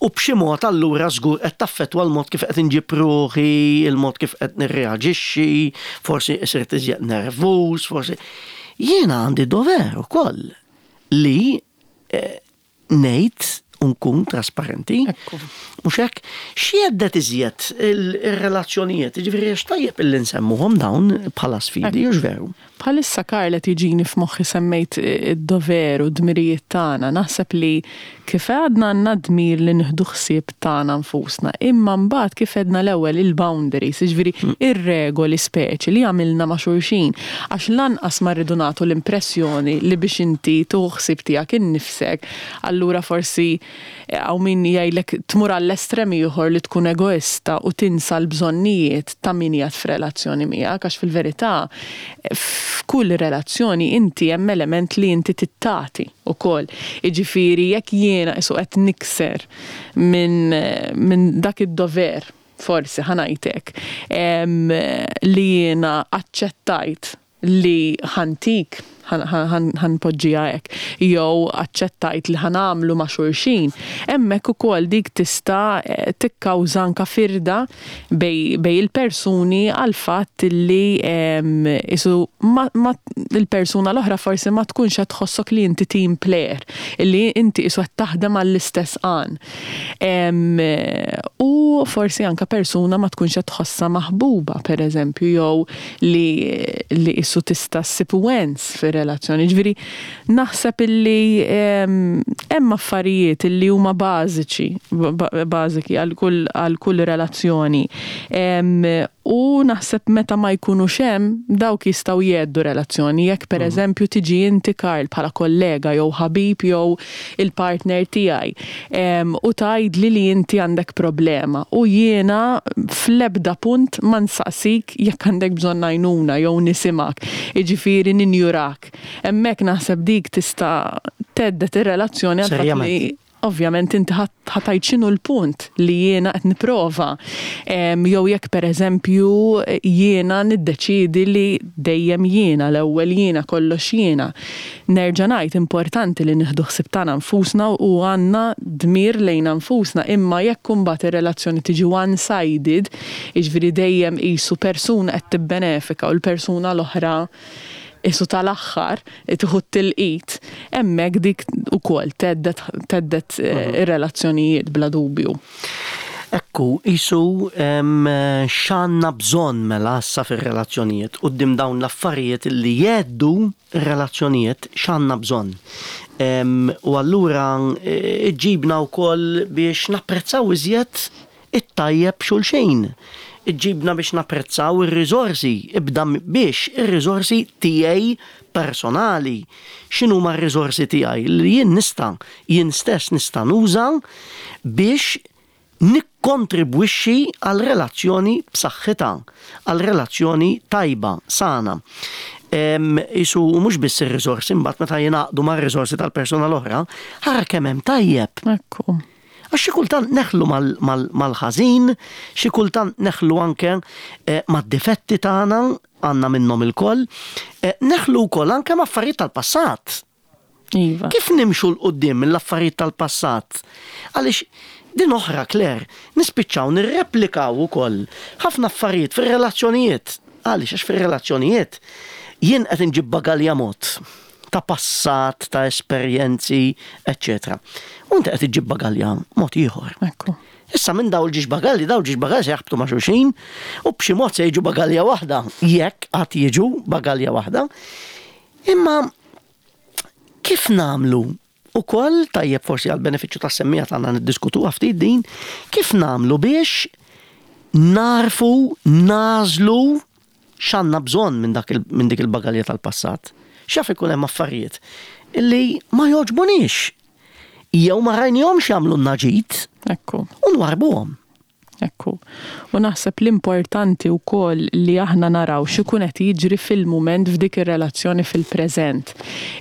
u b'xi mod allura żgur qed taffettwa l-mod kif qed inġib ruħi, il-mod kif qed nirreaġixxi, forsi sirt iżjed nervuż, forsi jiena għandi dover ukoll li eh, ngħid u nkun trasparenti. Ekku. Mhux hekk, x'jhedded iżjed il-relazzjonijiet, ġifieri għax tajjeb illi nsemmuhom dawn bħala sfidi, hux veru? Bħalissa, Karl, tiġini f'moħħi semmejt id-dover u d-dmirijiet tagħna. Naħseb li kif għadna għandna dmir li nieħdu ħsieb tagħna nfusna, imma mbagħad kif għedna l-ewwel il-boundaries, jiġifieri ir-regoli speċi li għamilna ma' xulxin, għax lanqas ma rridu nagħtu l-impressjoni li biex inti tieħu ħsieb tiegħek innifsek, allura forsi hawn min jgħidlek tmur għall-estrem ieħor li tkun egoista u tinsa l-bżonnijiet ta' min qiegħed f'relazzjoni miegħek, għax fil-verità f'kull relazzjoni inti hemm element li inti tittati ukoll. Jiġifieri jekk jiena isu qed nikser minn min dak id-dover, forsi ħa ngħidlek, em, li jiena aċċettajt li ħa ntik, ħa npoġġiha hekk, jew aċċettajt li ħa nagħmlu ma' xulxin, hemmhekk ukoll dik tista' eh, tikkawża anka firda bejn, bejn il-persuni għal fatt li em, isu ma, ma, il-persuna l-oħra forsi ma tkunx qed tħossok li inti team player, li inti isu qed taħdem għall-istess għan. Em, U forsi anka persuna ma tkunx qed tħossha maħbuba, per eżempju, jew li, li isu tista' ssib wens fir-relazzjoni. Ġifieri naħseb illi em, hemm affarijiet illi huma bażiċi, ba- bażiki għal kull għal kull relazzjoni. Em, U naħseb meta ma jkunux hemm dawk jistgħu jheddu relazzjoni. Jekk per eżempju tiġi inti, Karl, bħala kollega jew ħabib jew il-partner tiegħi em, u tgħidli li inti għandek problema u jiena fl-ebda punt ma nsaqsik jekk għandek bżonn għajnuna jew nisimgħek, jiġifieri ninjurak. Hemmhekk naħseb dik tista' thedded ir-relazzjoni għal fatt li Serjament. ovvjament inti ħa tgħid x'inhu l-punt li jiena qed nipprova. Em, Jew jekk per eżempju jiena niddeċidi li dejjem jiena, l-ewwel jiena, kollox jiena. Nerġa' ngħid, importanti li nieħdu ħsieb tagħna nfusna u għandna dmir lejna nfusna, imma jekk imbagħad ir-relazzjoni tiġi one-sided, jiġifieri dejjem qisu persuna qed tibbenefika u l-persuna l-oħra isu tal-aħħar tieħu t-tilqit, hemmhekk dik ukoll thedded thedded eh, ir-relazzjonijiet bla dubju. Ekku, isu em, x'għandna bżonn mela issa fir-relazzjonijiet quddiem dawn l-affarijiet li jheddu ir-relazzjonijiet, x'għandna bżonn? Em, U allura eh, iġibna wkoll biex napprezzaw iżjed it-tajjeb xulxejn. Iġibna biex napprezzaw ir-riżorsi, ibda m- biex ir-riżorsi tiegħi personali. X'inhuma r-riżorsi tiegħi li jien nista' jien stess nista' nuża biex nikkontribwixxi għal relazzjoni b'saħħitha, għal relazzjoni tajba, sana. Em, Isu mhux biss ir-riżorsi, mbagħad meta jingħaqdu mar-riżorsi tal-persuna l-oħra, ħara kemm hemm tajjeb. Ekku. Għax xi kultant neħlu mal- mal- mal-ħażin, xi kultant neħlu anke eh, mad-difetti tagħna, għandna minnhom ilkoll, eh, neħlu wkoll anke ma' affarijiet tal-passat. Iva. Kif nimxu 'l quddiem mill-affarijiet tal-passat? Għaliex din oħra, Claire, nispiċċaw nirreplikaw ukoll ħafna affarijiet fir-relazzjonijiet. Għaliex? Għax fir-relazzjonijiet jien qed inġib bagalja mod ta' passat, ta' esperjenzi, eċċetera. U inti qed iġib bagalja mod ieħor. Ekku. Issa minn daw il-żewġ bagalji, daw il-żewġ bagalji se jaħbtu ma' xulxin u b'xi mod se jiġu bagalja waħda, jekk qatt jiġu bagalja waħda. Imma kif nagħmlu ukoll, tajjeb forsi għal benefiċċju tas-semmiegħa tagħna niddiskutu ftit din, kif nagħmlu biex narfu nagħżlu x'għandna bżonn minn dak il- minn dik il-bagalja tal-passat? X'jaf ikun hemm affarijiet illi ma jogħġbunix jew ma rajnihomx jagħmlu ġid Ekku. u nwarbuhom. Ekku. U naħseb l-importanti wkoll li aħna naraw x'ikun qed jiġri fil-mument f'dik ir-relazzjoni fil-preżent.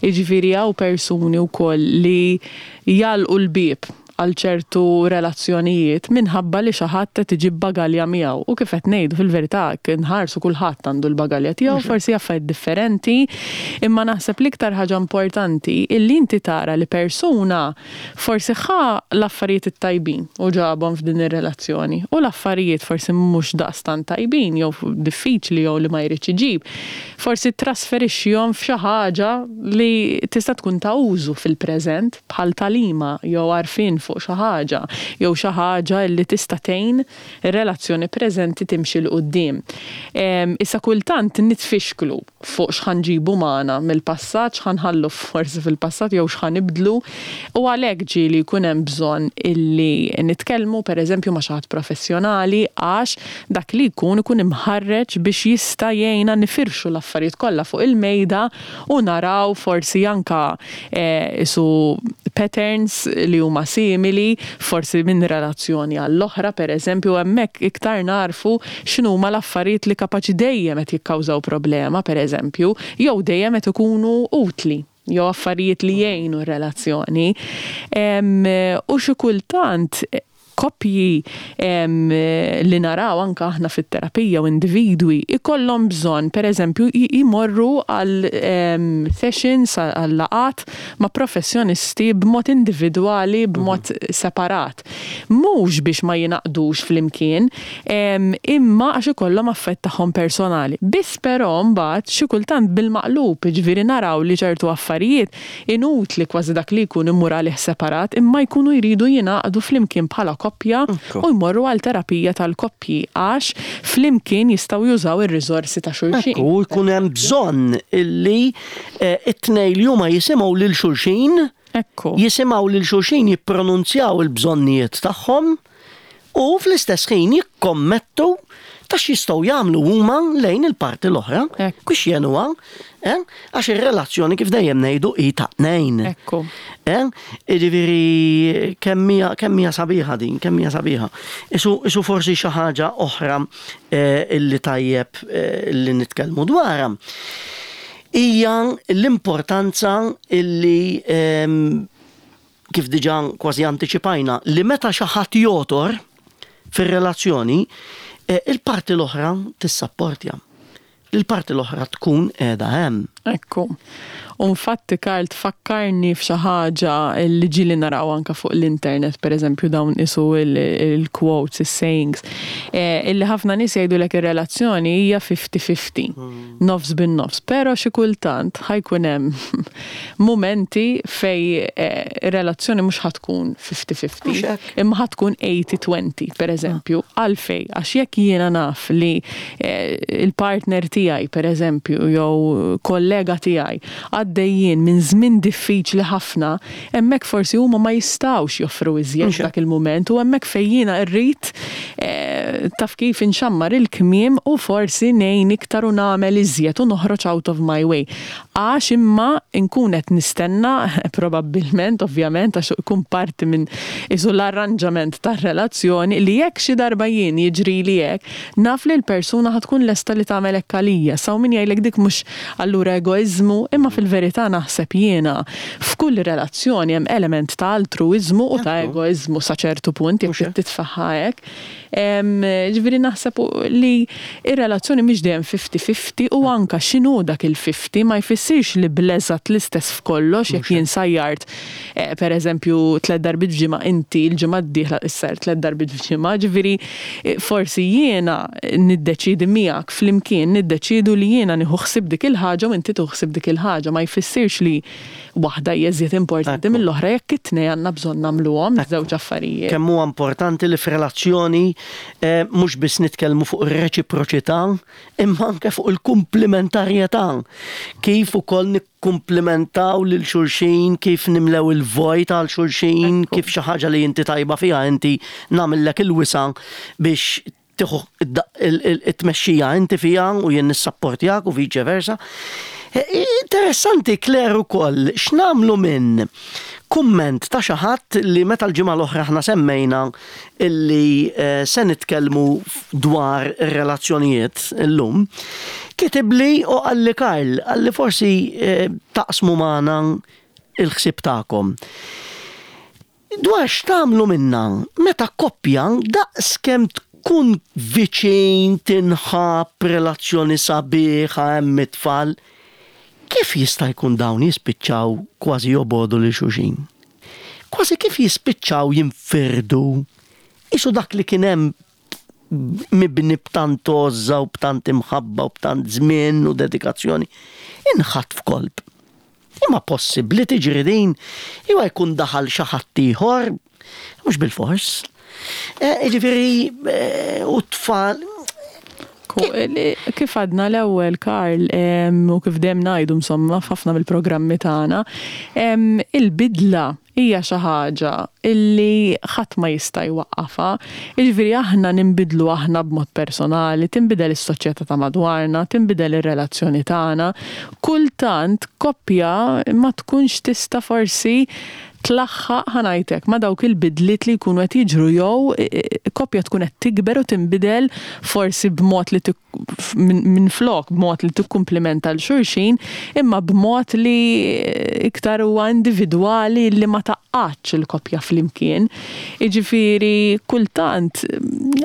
Jiġifieri hawn persuni wkoll li jagħlqu l-bieb għal ċertu relazzjonijiet minħabba li xi ħadd qed iġib bagalja miegħu. U kif qed ngħidu, fil-verità nħarsu kulħadd għandu l-bagalja tiegħu, forsi affarijiet differenti, imma naħseb l-iktar ħaġa importanti illi inti tara li persuna forsi ħa l-affarijiet it-tajbin u ġabhom f'din ir-relazzjoni u l-affarijiet forsi mhux daqstant tajbin jew diffiċli jew li ma jridx iġib. Forsi trasferixxihom f'xi ħaġa li tista' tkun ta' użu fil-preżent bħal tagħlima jew għarfien fuq xi ħaġa jew xi ħaġa li tista' tgħin ir-relazzjoni preżenti timxi 'l quddiem. Issa kultant nitfixklu fuq x'ħa nġibu magħna mill-passat, x'ħa nħallu forsi fil-passat jew x'ħa nibdlu, u għalhekk ġieli jkun hemm bżonn illi nitkellmu, pereżempju, ma' xi ħadd professjonali, għax dak li jkun ikun imħarreġ biex jista' jgħinna nifirxu l-affarijiet kollha fuq il-mejda u naraw forsi anka eh, isu patterns li huma simili, forsi minn relazzjoni għall-oħra, pereżempju, hemmhekk iktar narfu x'inhuma l-affarijiet li kapaċi dejjem qed jikkawżaw problema, pereżempju, jew dejjem qed ikunu utli, jew affarijiet li jgħinu r-relazzjoni. U xi kultant koppji li naraw anka aħna fit-terapija u individwi ikollhom bżonn, pereżempju, jmorru għal sessions, għal laqat ma' professjonisti b'mod individwali, b'mod mhm. separat. Mhux biex ma jingħaqdux flimkien, imma għax ikollhom affett tagħhom personali. Biss però mbagħad xi kultant bil-maqlub, ġifieri naraw li ċertu affarijiet inutli kważi dak li jkun imur għalih separat, imma jkunu jridu jingħaqdu flimkien bħala koppja u jmorru għal terapija tal-koppji, għax flimkien jistgħu jużaw ir-riżorsi ta' xulxin. U jkun hemm bżonn illi eh, it-tnejn li huma jisimgħu lil xulxin, Ekku. jisimgħu lil xulxin jippronunzjaw il-bżonnijiet tagħhom u fl-istess ħin jikkommettu ta' x'jistgħu jagħmlu huma lejn il-parti l-oħra biex jgħinuha, eh? Għax ir-relazzjoni, kif dejjem ngħidu, hi ta' tnejn. Ekku. Eh? Jiġifieri kemm hija kemm hija sabiħa din, kemm hija sabiħa. Isu, isu forsi xi ħaġa oħra eh, illi tajjeb eh, illi nitkellmu dwarha hija l-importanza illi ehm, kif diġà kważi antiċipajna, li meta xi ħadd jogħtor fir-relazzjoni, eh, il-parti l-oħra tissapportja. Il-parti l-oħra tkun qiegħda hemm. Ekku. U infatti, Karl, tfakkarni f'xi ħaġa li ġieli naraw anka fuq l-internet, per eżempju, dawn isu il-quotes, il-sayings, eh, illi ħafna nies jgħidulek ir-relazzjoni hija fifty fifty, nofs bin-nofs, però xi kultant ħa jkun hemm momenti fej eh, ir-relazzjoni mhux ħa tkun fifty fifty, Mhux hekk. imma ħa tkun eighty twenty, per eżempju, għalfej, għax jekk jiena naf li eh, il-partner tiegħi, per eżempju, jew kollega tiegħi għaddejjin minn żmien diffiċli ħafna, hemmhekk forsi huma ma jistgħux joffru iżjed Mhux hekk. dak il-mument u hemmhekk fejn jiena rrid eh, taf kif inxammar il-kmiem u forsi ngħin iktar u nagħmel iżjed u noħroġ out of my way. Għax imma nkun qed nistenna probabbilment, ovvjament, għax ikun parti minn isu l-arranġament tar-relazzjoni li jekk xi darba jien jiġri li hekk, naf li l-persuna ħa tkun lesta li tagħmel hekk għalija. Saw min jgħidlek dik mhux allura egoiżmu, imma fil-verità naħseb jiena f'kull relazzjoni hemm element ta' altruiżmu u ta' Ekku. egoiżmu sa ċertu punt jekk Mhux hekk. titfaħħa hekk. Em, Ġifieri naħseb li ir-relazzjoni mhix dejjem fifty fifty u anka x'inhu dak il-fifty ma jfissirx li bleżat l-istess f'kollox. Jekk jien sajjart eh, per eżempju, tliet darbiet f'ġimgħa, inti l-ġimgħa d-dieħla issajjar tliet darbiet f'ġimgħa, ġifieri eh, forsi jiena niddeċidi miegħek, flimkien niddeċidu li jiena nieħu ħsieb dik il-ħaġa u inti tieħu ħsieb dik il-ħaġa. Ma jfissirx li waħda hija iżjed importanti Ekku. mill-oħra jekk it-tnejn għandna bżonn nagħmluhom żewġ affarijiet. Kemm huwa importanti li f'relazzjoni eh, mhux biss nitkellmu fuq ir-reċiproċità, imma anke fuq il-komplementarjetà. Kif ukoll nikkumplementaw lil xulxin, kif nimlew il-vojt għal xulxin, Ekku. kif xi ħaġa li inti tajba fiha inti nagħmellek il-wisa biex tieħu id-tmexxija inti fiha u jien nissapportjak u vice versa. Eh, Interessanti, Claire, ukoll x'nagħmlu minn kumment ta' xi ħadd li meta l-ġimgħa l-oħra aħna semmejna illi eh, se nitkellmu dwar ir-relazzjonijiet illum, kitibli u qalli: "Karl," qalli, "forsi eh, taqsmu magħna il-ħsieb tagħkom. Dwar x'tagħmlu minna meta koppja daqs kemm tkun viċin, tinħab, relazzjoni sabiħa, hemm it-tfal, kif jista' jkun dawn jispiċċaw kważi jobogħdu lil xulxin? Kważi kif jispiċċaw jinfirdu? Isu dak li kien hemm mibni b'tant għożża u b'tant imħabba u b'tant żmien u dedikazzjoni, inħatt f'kolp. Imma possibbli tiġri din? Iwa jkun daħal xi ħadd ieħor?" Mhux bilfors. Eh, Ġifieri, eh, u tfal, Ku- li- Kif għadna l-ewwel, Karl, em, u kif dejjem ngħidu insomma f'ħafna mill-programmi tagħna, em, il-bidla hija xi ħaġa illi ħadd ma jista' jwaqqafha. Jiġifieri aħna ninbidlu aħna b'mod personali, tinbidel is-soċjetà ta' madwarna, tinbidel ir-relazzjoni tagħna. Kultant koppja ma tkunx tista' forsi tlaħħaq, ħa ngħidlek, ma' dawk il-bidliet li jkunu qed jiġru jew e, e, koppja tkun qed tikber u tinbidel forsi b'mod li tik- minn min flok b'mod li tikkumplimenta 'l xulxin, imma b'mod li iktar huwa individwali li ma tgħaqqadx il-koppja flimkien. Jiġifieri kultant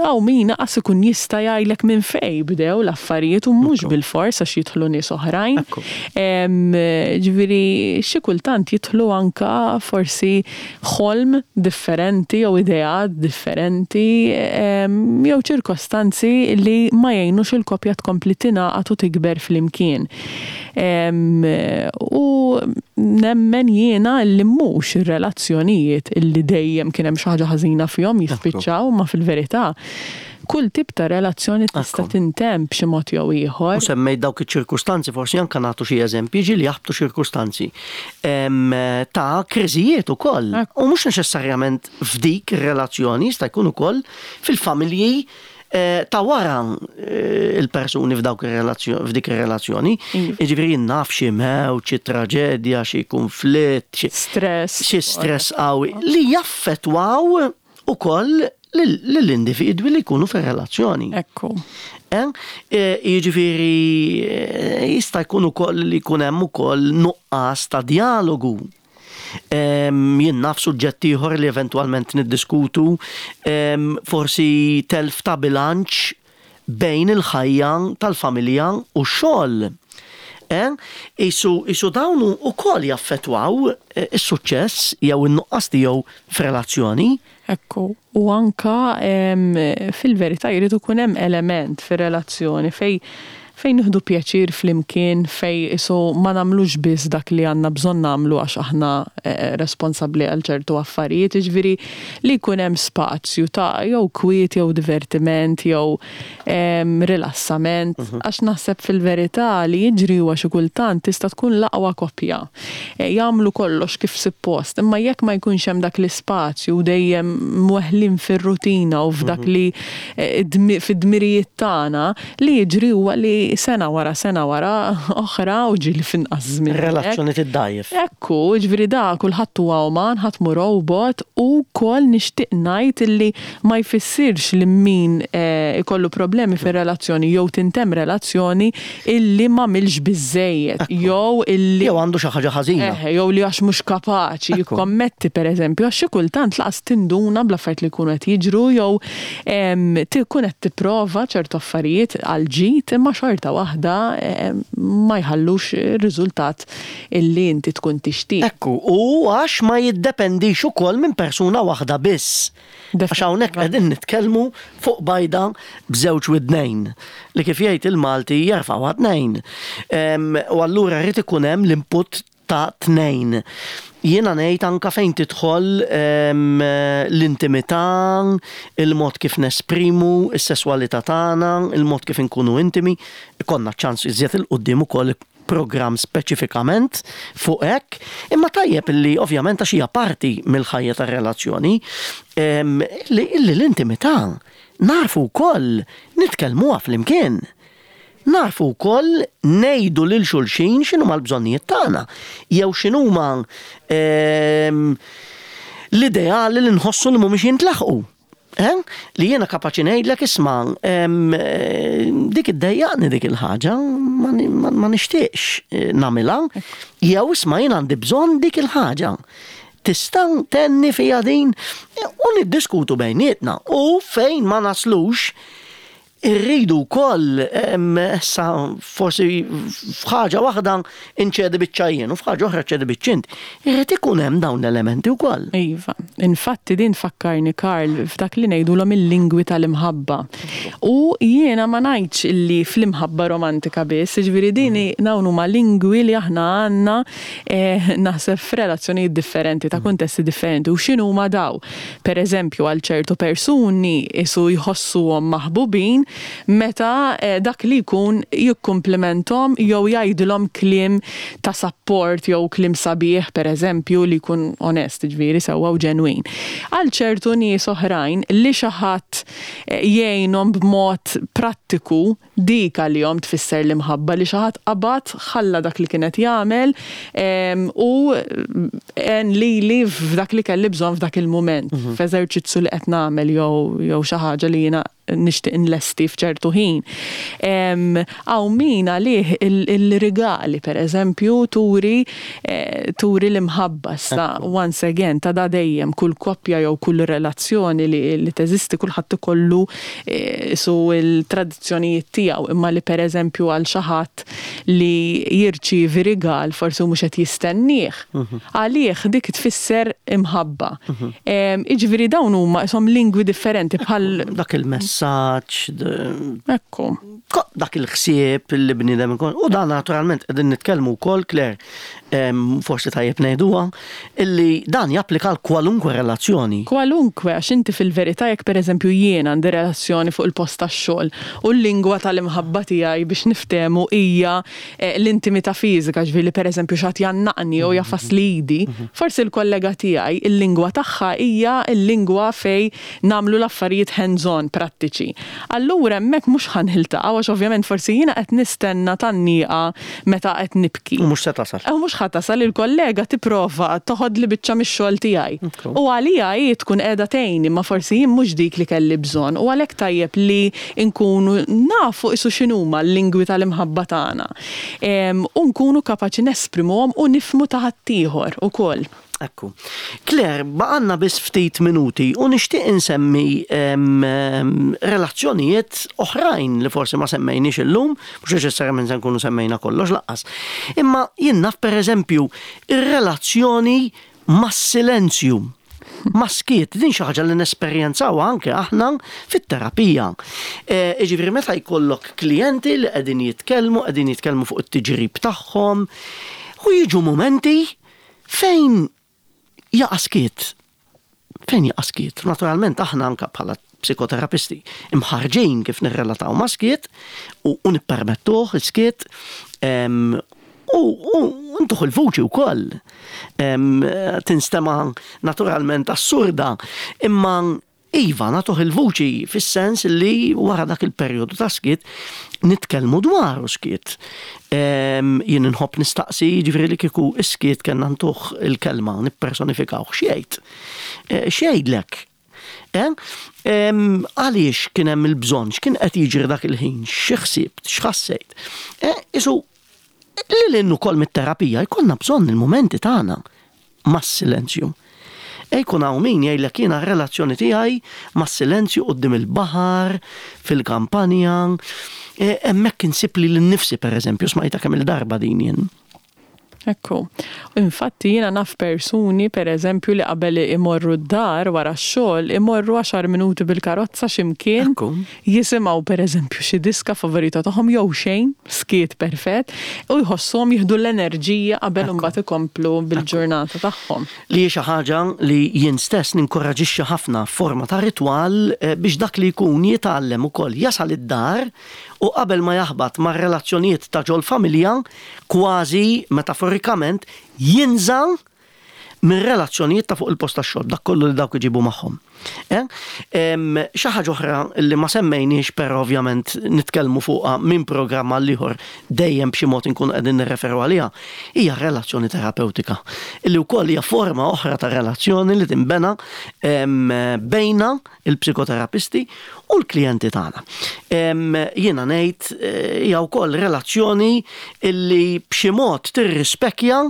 hawn min qas ikun jista' jgħidlek minn fejn bdew l-affarijiet u mhux bilfors għax jidħlu nies oħrajn. Ekku. Em, Ġifieri xi kultant jidħlu anka forsi ħolm differenti jew ideat differenti em, jew ċirkostanzi li ma jgħinux il-koppja tkompli tingħaqad u tikber flimkien. Em, U nemmen jiena li mhux ir-relazzjonijiet illi dejjem kien hemm xi ħaġa ħażina fihom jispiċċaw, ma fil-verità kull tip ta' relazzjoni tista' Ekku. tintemm b'xi mod jew ieħor. U semmejt dawk iċ-ċirkustanzi, forsi anka nagħtu xi eżempji, ġieli jaħbtu ċirkustanzi em, ta' kriżijiet ukoll. Ekku. U mhux neċessarjament f'dik ir-relazzjoni, jista' jkun ukoll fil-familji eh, ta' wara eh, il-persuni f'dawk ir-relazzjoni, f'dik ir-relazzjoni. Iva. Jiġifieri naf xi mewt, xi traġedja, xi konflitt, xi Stress. xi stress qawwi li jaffettwaw ukoll lill-individwi li jkunu fir-relazzjoni. Ekku. Eh? Eh, Jiġifieri eh, jista' jkun ukoll li jkun hemm ukoll nuqqas ta' dialogu. Em, Jien naf suġġett ieħor li eventwalment niddiskutu, em, forsi telf ta' bilanċ bejn il-ħajja tal-familja u x-xogħol. Eh? Isu, isu dawn ukoll jaffettwaw eh, is-suċċess jew in-nuqqas tiegħu f'relazzjoni. Ekku, u anka em, fil-verità jrid ikun hemm element fir-relazzjoni fej fejn nieħdu pjaċir flimkien, fej isu ma nagħmlux biss dak li għandna bżonn nagħmlu għax aħna eh, responsabbli għal ċertu affarijiet, jiġifieri li jkun hemm spazju ta' jew kwiet jew divertiment jew em, rilassament, għax naħseb fil-verità li jiġri huwa xi kultant tista' tkun l-aqwa koppja. Eh, Jagħmlu kollox kif suppost, imma jekk ma jkunx hemm dak l-ispazju dejjem mweħlin fir-rutina u f'dak li eh, dmi- fid-dmirijiet tagħna, li jiġri huwa li sena wara sena wara oħra u ġieli f'inqas żmien. Relazzjoni tiddajjef. Ekku, ġifieri da, kulħadd huwa uman, ħadd mhu robot u wkoll nixtieq ngħid illi ma jfissirx li min eh, ikollu problemi fir-relazzjoni jew tintemm relazzjoni illi m'għamilx biżejjed jew illi Jew għandu xi ħaġa ħażina. Eħe, jew li għax mhux kapaċi Ekku. jikkommetti, pereżempju, għax xi kultant lanqas tinduna bl-affarijiet li jkunu qed jiġru jew em, tkun qed tipprova ċertu affarijiet għal ġid imma xorta waħda em, ma jħallux ir-riżultat illi inti tkun tixtieq. Ekku, u għax ma jiddependix ukoll minn persuna waħda biss. Għax hawnhekk qegħdin nitkellmu fuq bajda b'żewġ widnejn li kif jgħid il-Malti jerfgħu tnejn. Em, U allura rrid ikun hemm l-input ta' tnejn. Jiena ngħid anka fejn tidħol em, l-intimità, il-mod kif nesprimu, is-sesswalità tagħna, il-mod kif inkunu intimi, ikollna ċans iżjed 'il quddiem ukoll program speċifikament fuq hekk, imma tajjeb illi ovvjament għax hija parti mill-ħajja tar-relazzjoni, em, li illi l-intimità narfu wkoll nitkellmuha flimkien. Narfu wkoll ngħidu lil xulxin x'inhuma l-bżonnijiet tagħna jew x'inhuma em, l-ideali li nħossu li mhumiex jintlaħqu. Eh? Li jiena kapaċi ngħidlek, isma' em, eh, dik iddejjaqni dik il-ħaġa, ma, ma, ma nixtieqx eh, nagħmilha, jew isma' jien għandi bżonn dik il-ħaġa. Tista' tgħinni fija din? U niddiskutu bejnietna u fejn ma naslux Irridu wkoll issa forsi f'ħaġa waħda inċedi biċċa jien u f'ħaġa oħra ċedi biċċa int. Irrid ikun hemm dawn l-elementi wkoll. Iva, infatti din fakkarni, Karl, f'dak li ngħidulhom il-lingwi tal-imħabba. U jiena ma ngħidx illi fl-imħabba romantika biss, jiġifieri din dawn huma lingwi li aħna għandna eh, naħseb f'relazzjonijiet differenti, ta' kuntesti differenti. U x'inhuma daw? Per eżempju, għal ċertu persuni isu jħossuhom maħbubin meta eh, dak li jkun jikkumplimenthom jew jgħidilhom kliem ta' support jew kliem sabiħ, per eżempju, li jkun onest, ġifieri sewwa u ġenwin. Għal ċertu nies oħrajn li xi ħadd eh, jgħinhom b'mod prattiku, dik għalihom tfisser l-imħabba, li xi ħadd qabad ħalla dak li kienet jagħmel em, u għen lili f'dak li kelli bżonn f'dak il-mument, f'eżerċizzju li qed nagħmel jew jew xi ħaġa li jiena nixtieq inlesti f'ċertu ħin. Hawn min għalih il-rigali, per eżempju, turi eh, turi l-imħabba. Sa once again, ta' da dejjem kull koppja jew kull relazzjoni li, li teżisti, kulħadd ikollu eh, su il-tradizzjonijiet tiegħu, imma li per eżempju għal xi ħadd li jirċievi rigal forsi mhux qed jistennieh. Għalih dik tfisser imħabba. Em, Jiġifieri dawn huma isom lingwi differenti bħal Dak il-messaġġ, d- Ekku. ko- dak il-ħsieb li bniedem ikun. U dan naturalment qegħdin nitkellmu wkoll, Claire, em, forsi tajjeb ngħiduha, illi dan japplika għal kwalunkwe relazzjoni. Kwalunkwe, għax inti fil-verità jekk per eżempju jien għandi relazzjoni fuq il-post tax-xogħol u l-lingwa tal-imħabba tiegħi, biex niftehmu, hija eh, l-intimità fiżika, ġifieri per eżempju xi ħadd jgħannaqni jew jagħfasli idi, forsi l-kollega tiegħi il-lingwa tagħha hija l-lingwa fej nagħmlu l-affarijiet hands-on prattiċi. Allura hemmhekk mhux ħa niltaqgħu, għax ovvjament forsi jiena qed nistenna tgħanniqa meta qed nibki. U mhux se tasal. U mhux ħa tasal, il-kollega tipprova toħod li biċċa mix-xogħol tiegħi. Okay. U għalija hi tkun qiegħda tgħinni, ma forsi jien mhux dik li kelli bżonn. U għalhekk tajjeb li nkunu nafu isu x'inhuma l-lingwi tal-imħabba tagħna. Em, U nkunu kapaċi nesprimuhom u nifhmu ta' ħaddieħor ukoll. Ekku. Claire, baqgħalna biss ftit minuti u nixtieq insemmi em, em, relazzjonijiet oħrajn li forsi ma semmejniex illum, mhux neċessarjament se nkunu semmejna kollox lanqas. Imma jien naf, per eżempju, ir-relazzjoni mas-silenzju. Mas-skiet, din xi ħaġa li nesperjenzaw anke aħna fit-terapija. E, Jiġifieri meta jkollok klijenti li qegħdin jitkellmu, qegħdin jitkellmu fuq it-tiġrib tagħhom, u jiġu momenti fejn jaqa' skiet. Fejn jaqa' skiet? Naturalment aħna anka bħala psikoterapisti imħarġin kif nirrelataw ma' skiet u, u nippermettuh il-skiet em, u, u ntuh il-vuċi wkoll. Em, Tinstema naturalment assurda, imma iva, nagħtuh il-vuċi fis-sens li wara dak il-perjodu ta' skiet nitkellmu dwar skiet. Em, Jien nħobb nistaqsi, ġifieri li kieku is-skiet kellna ntuh il-kelma, nippersonifikaw, x'jgħid? Eh, X'jgħidlek? Eh? Em, Għaliex kien hemm il-bżonn, x'kien qed jiġri dak il-ħin, xi ħsibt, x'ħassejt. Eh, Isu, li l ukoll mit-terapija jkollna bżonn il-momenti tagħna mas-silenzju. E jkun hawn min jgħidlek, jiena r-relazzjoni tiegħi mas-silenzju quddiem il-baħar, fil-kampanja, e, hemmhekk insib lili nnifsi, per eżempju, smajta kemm il-darba din jien. Ekku. Infatti jiena naf persuni, per eżempju, li qabel imorru d-dar wara x-xogħol, imorru għaxar minuti bil-karozza x'imkien, Ekku. jisimgħu per eżempju xi diska favorita tagħhom jew xejn, skiet perfett, u jħossuhom jieħdu l-enerġija qabel imbagħad ikomplu bil-ġurnata tagħhom. Li hi xi ħaġa li jien stess ninkoraġixxi ħafna, forma ta' ritwal eh, biex dak li jkun jitgħallem ukoll jasal id-dar u qabel ma jaħbat ma' relazzjonijiet ta' ġol familja, kważi metaforikament jinża' minn relazzjonijiet ta' fuq il-post tax-xogħol, dak kollu li dawk iġibu magħhom. Eh? Em, Xi ħaġa oħra li ma semmejniex, però ovvjament nitkellmu fuqha minn programm għal ieħor, dejjem b'xi mod inkunu qegħdin nirreferu għaliha, hija relazzjoni terapeutika. Illi wkoll hija forma oħra ta' relazzjoni li tinbena em, bejna il-psikoterapisti u l-klijenti tagħna. Em, Jiena ngħid eh, hija wkoll relazzjoni illi b'xi mod tirrispekja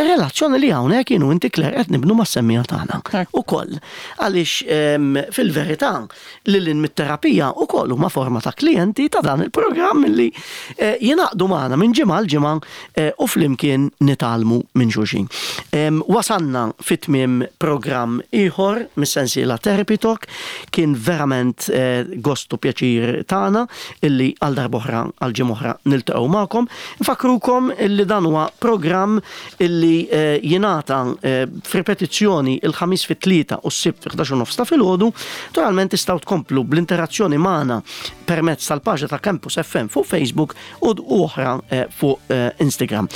relazzjoni li hawnhekk jien u inti, Claire, qed nibnu mas-semmiegħa tagħna. Ekku. Ukoll għaliex fil-verità lil hinn mit-terapija ukoll huma forma ta' klijenti ta' dan il-programm li eh, jingħaqdu magħna minn ġimgħa l ġimgħa eh, u flimkien nitgħallmu minn xulxin. Wasanna fit-tmiem programm ieħor mis-sensiela Therapy Talk. Kien verament eh, gost u pjaċir tagħna illi għal darb'oħra, għal ġimgħa oħra, niltaqgħu magħkom. Nfakrukom illi dan huwa programm illi jingħata f'ripetizzjoni il-Ħamis fit-tlieta u s-Sibt fi nofs ta' filgħodu. Naturalment tistgħu tkomplu bl-interazzjoni magħna permezz tal-paġna ta' Campus F M fuq Facebook u oħra eh, fuq eh, Instagram.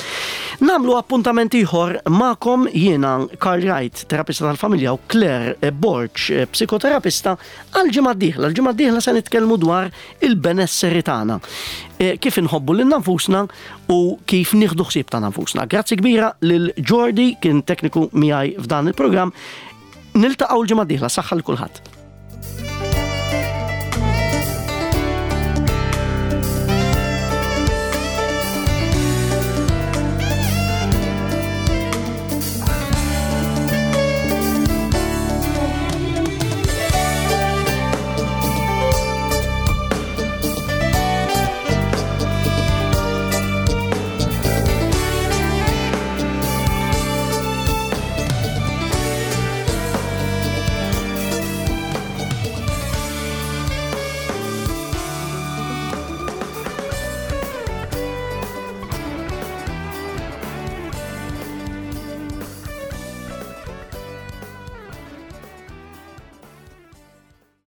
Nagħmlu appuntament ieħor magħkom jiena Karl Wright, terapista tal-familja, u Claire eh, Borg, psikoterapista, għal ġimgħa d-dieħla. L-ġimgħa d-dieħla se nitkellmu dwar il-benesseri tagħna. Kif inħobbu lil nfusna u kif nieħdu ħsieb ta' nfusna. Grazzi kbira lil Jordi, kien tekniku miegħi f'dan il-programm. Niltaqgħu l-ġimgħa d-dieħla, saħħa lil kulħadd.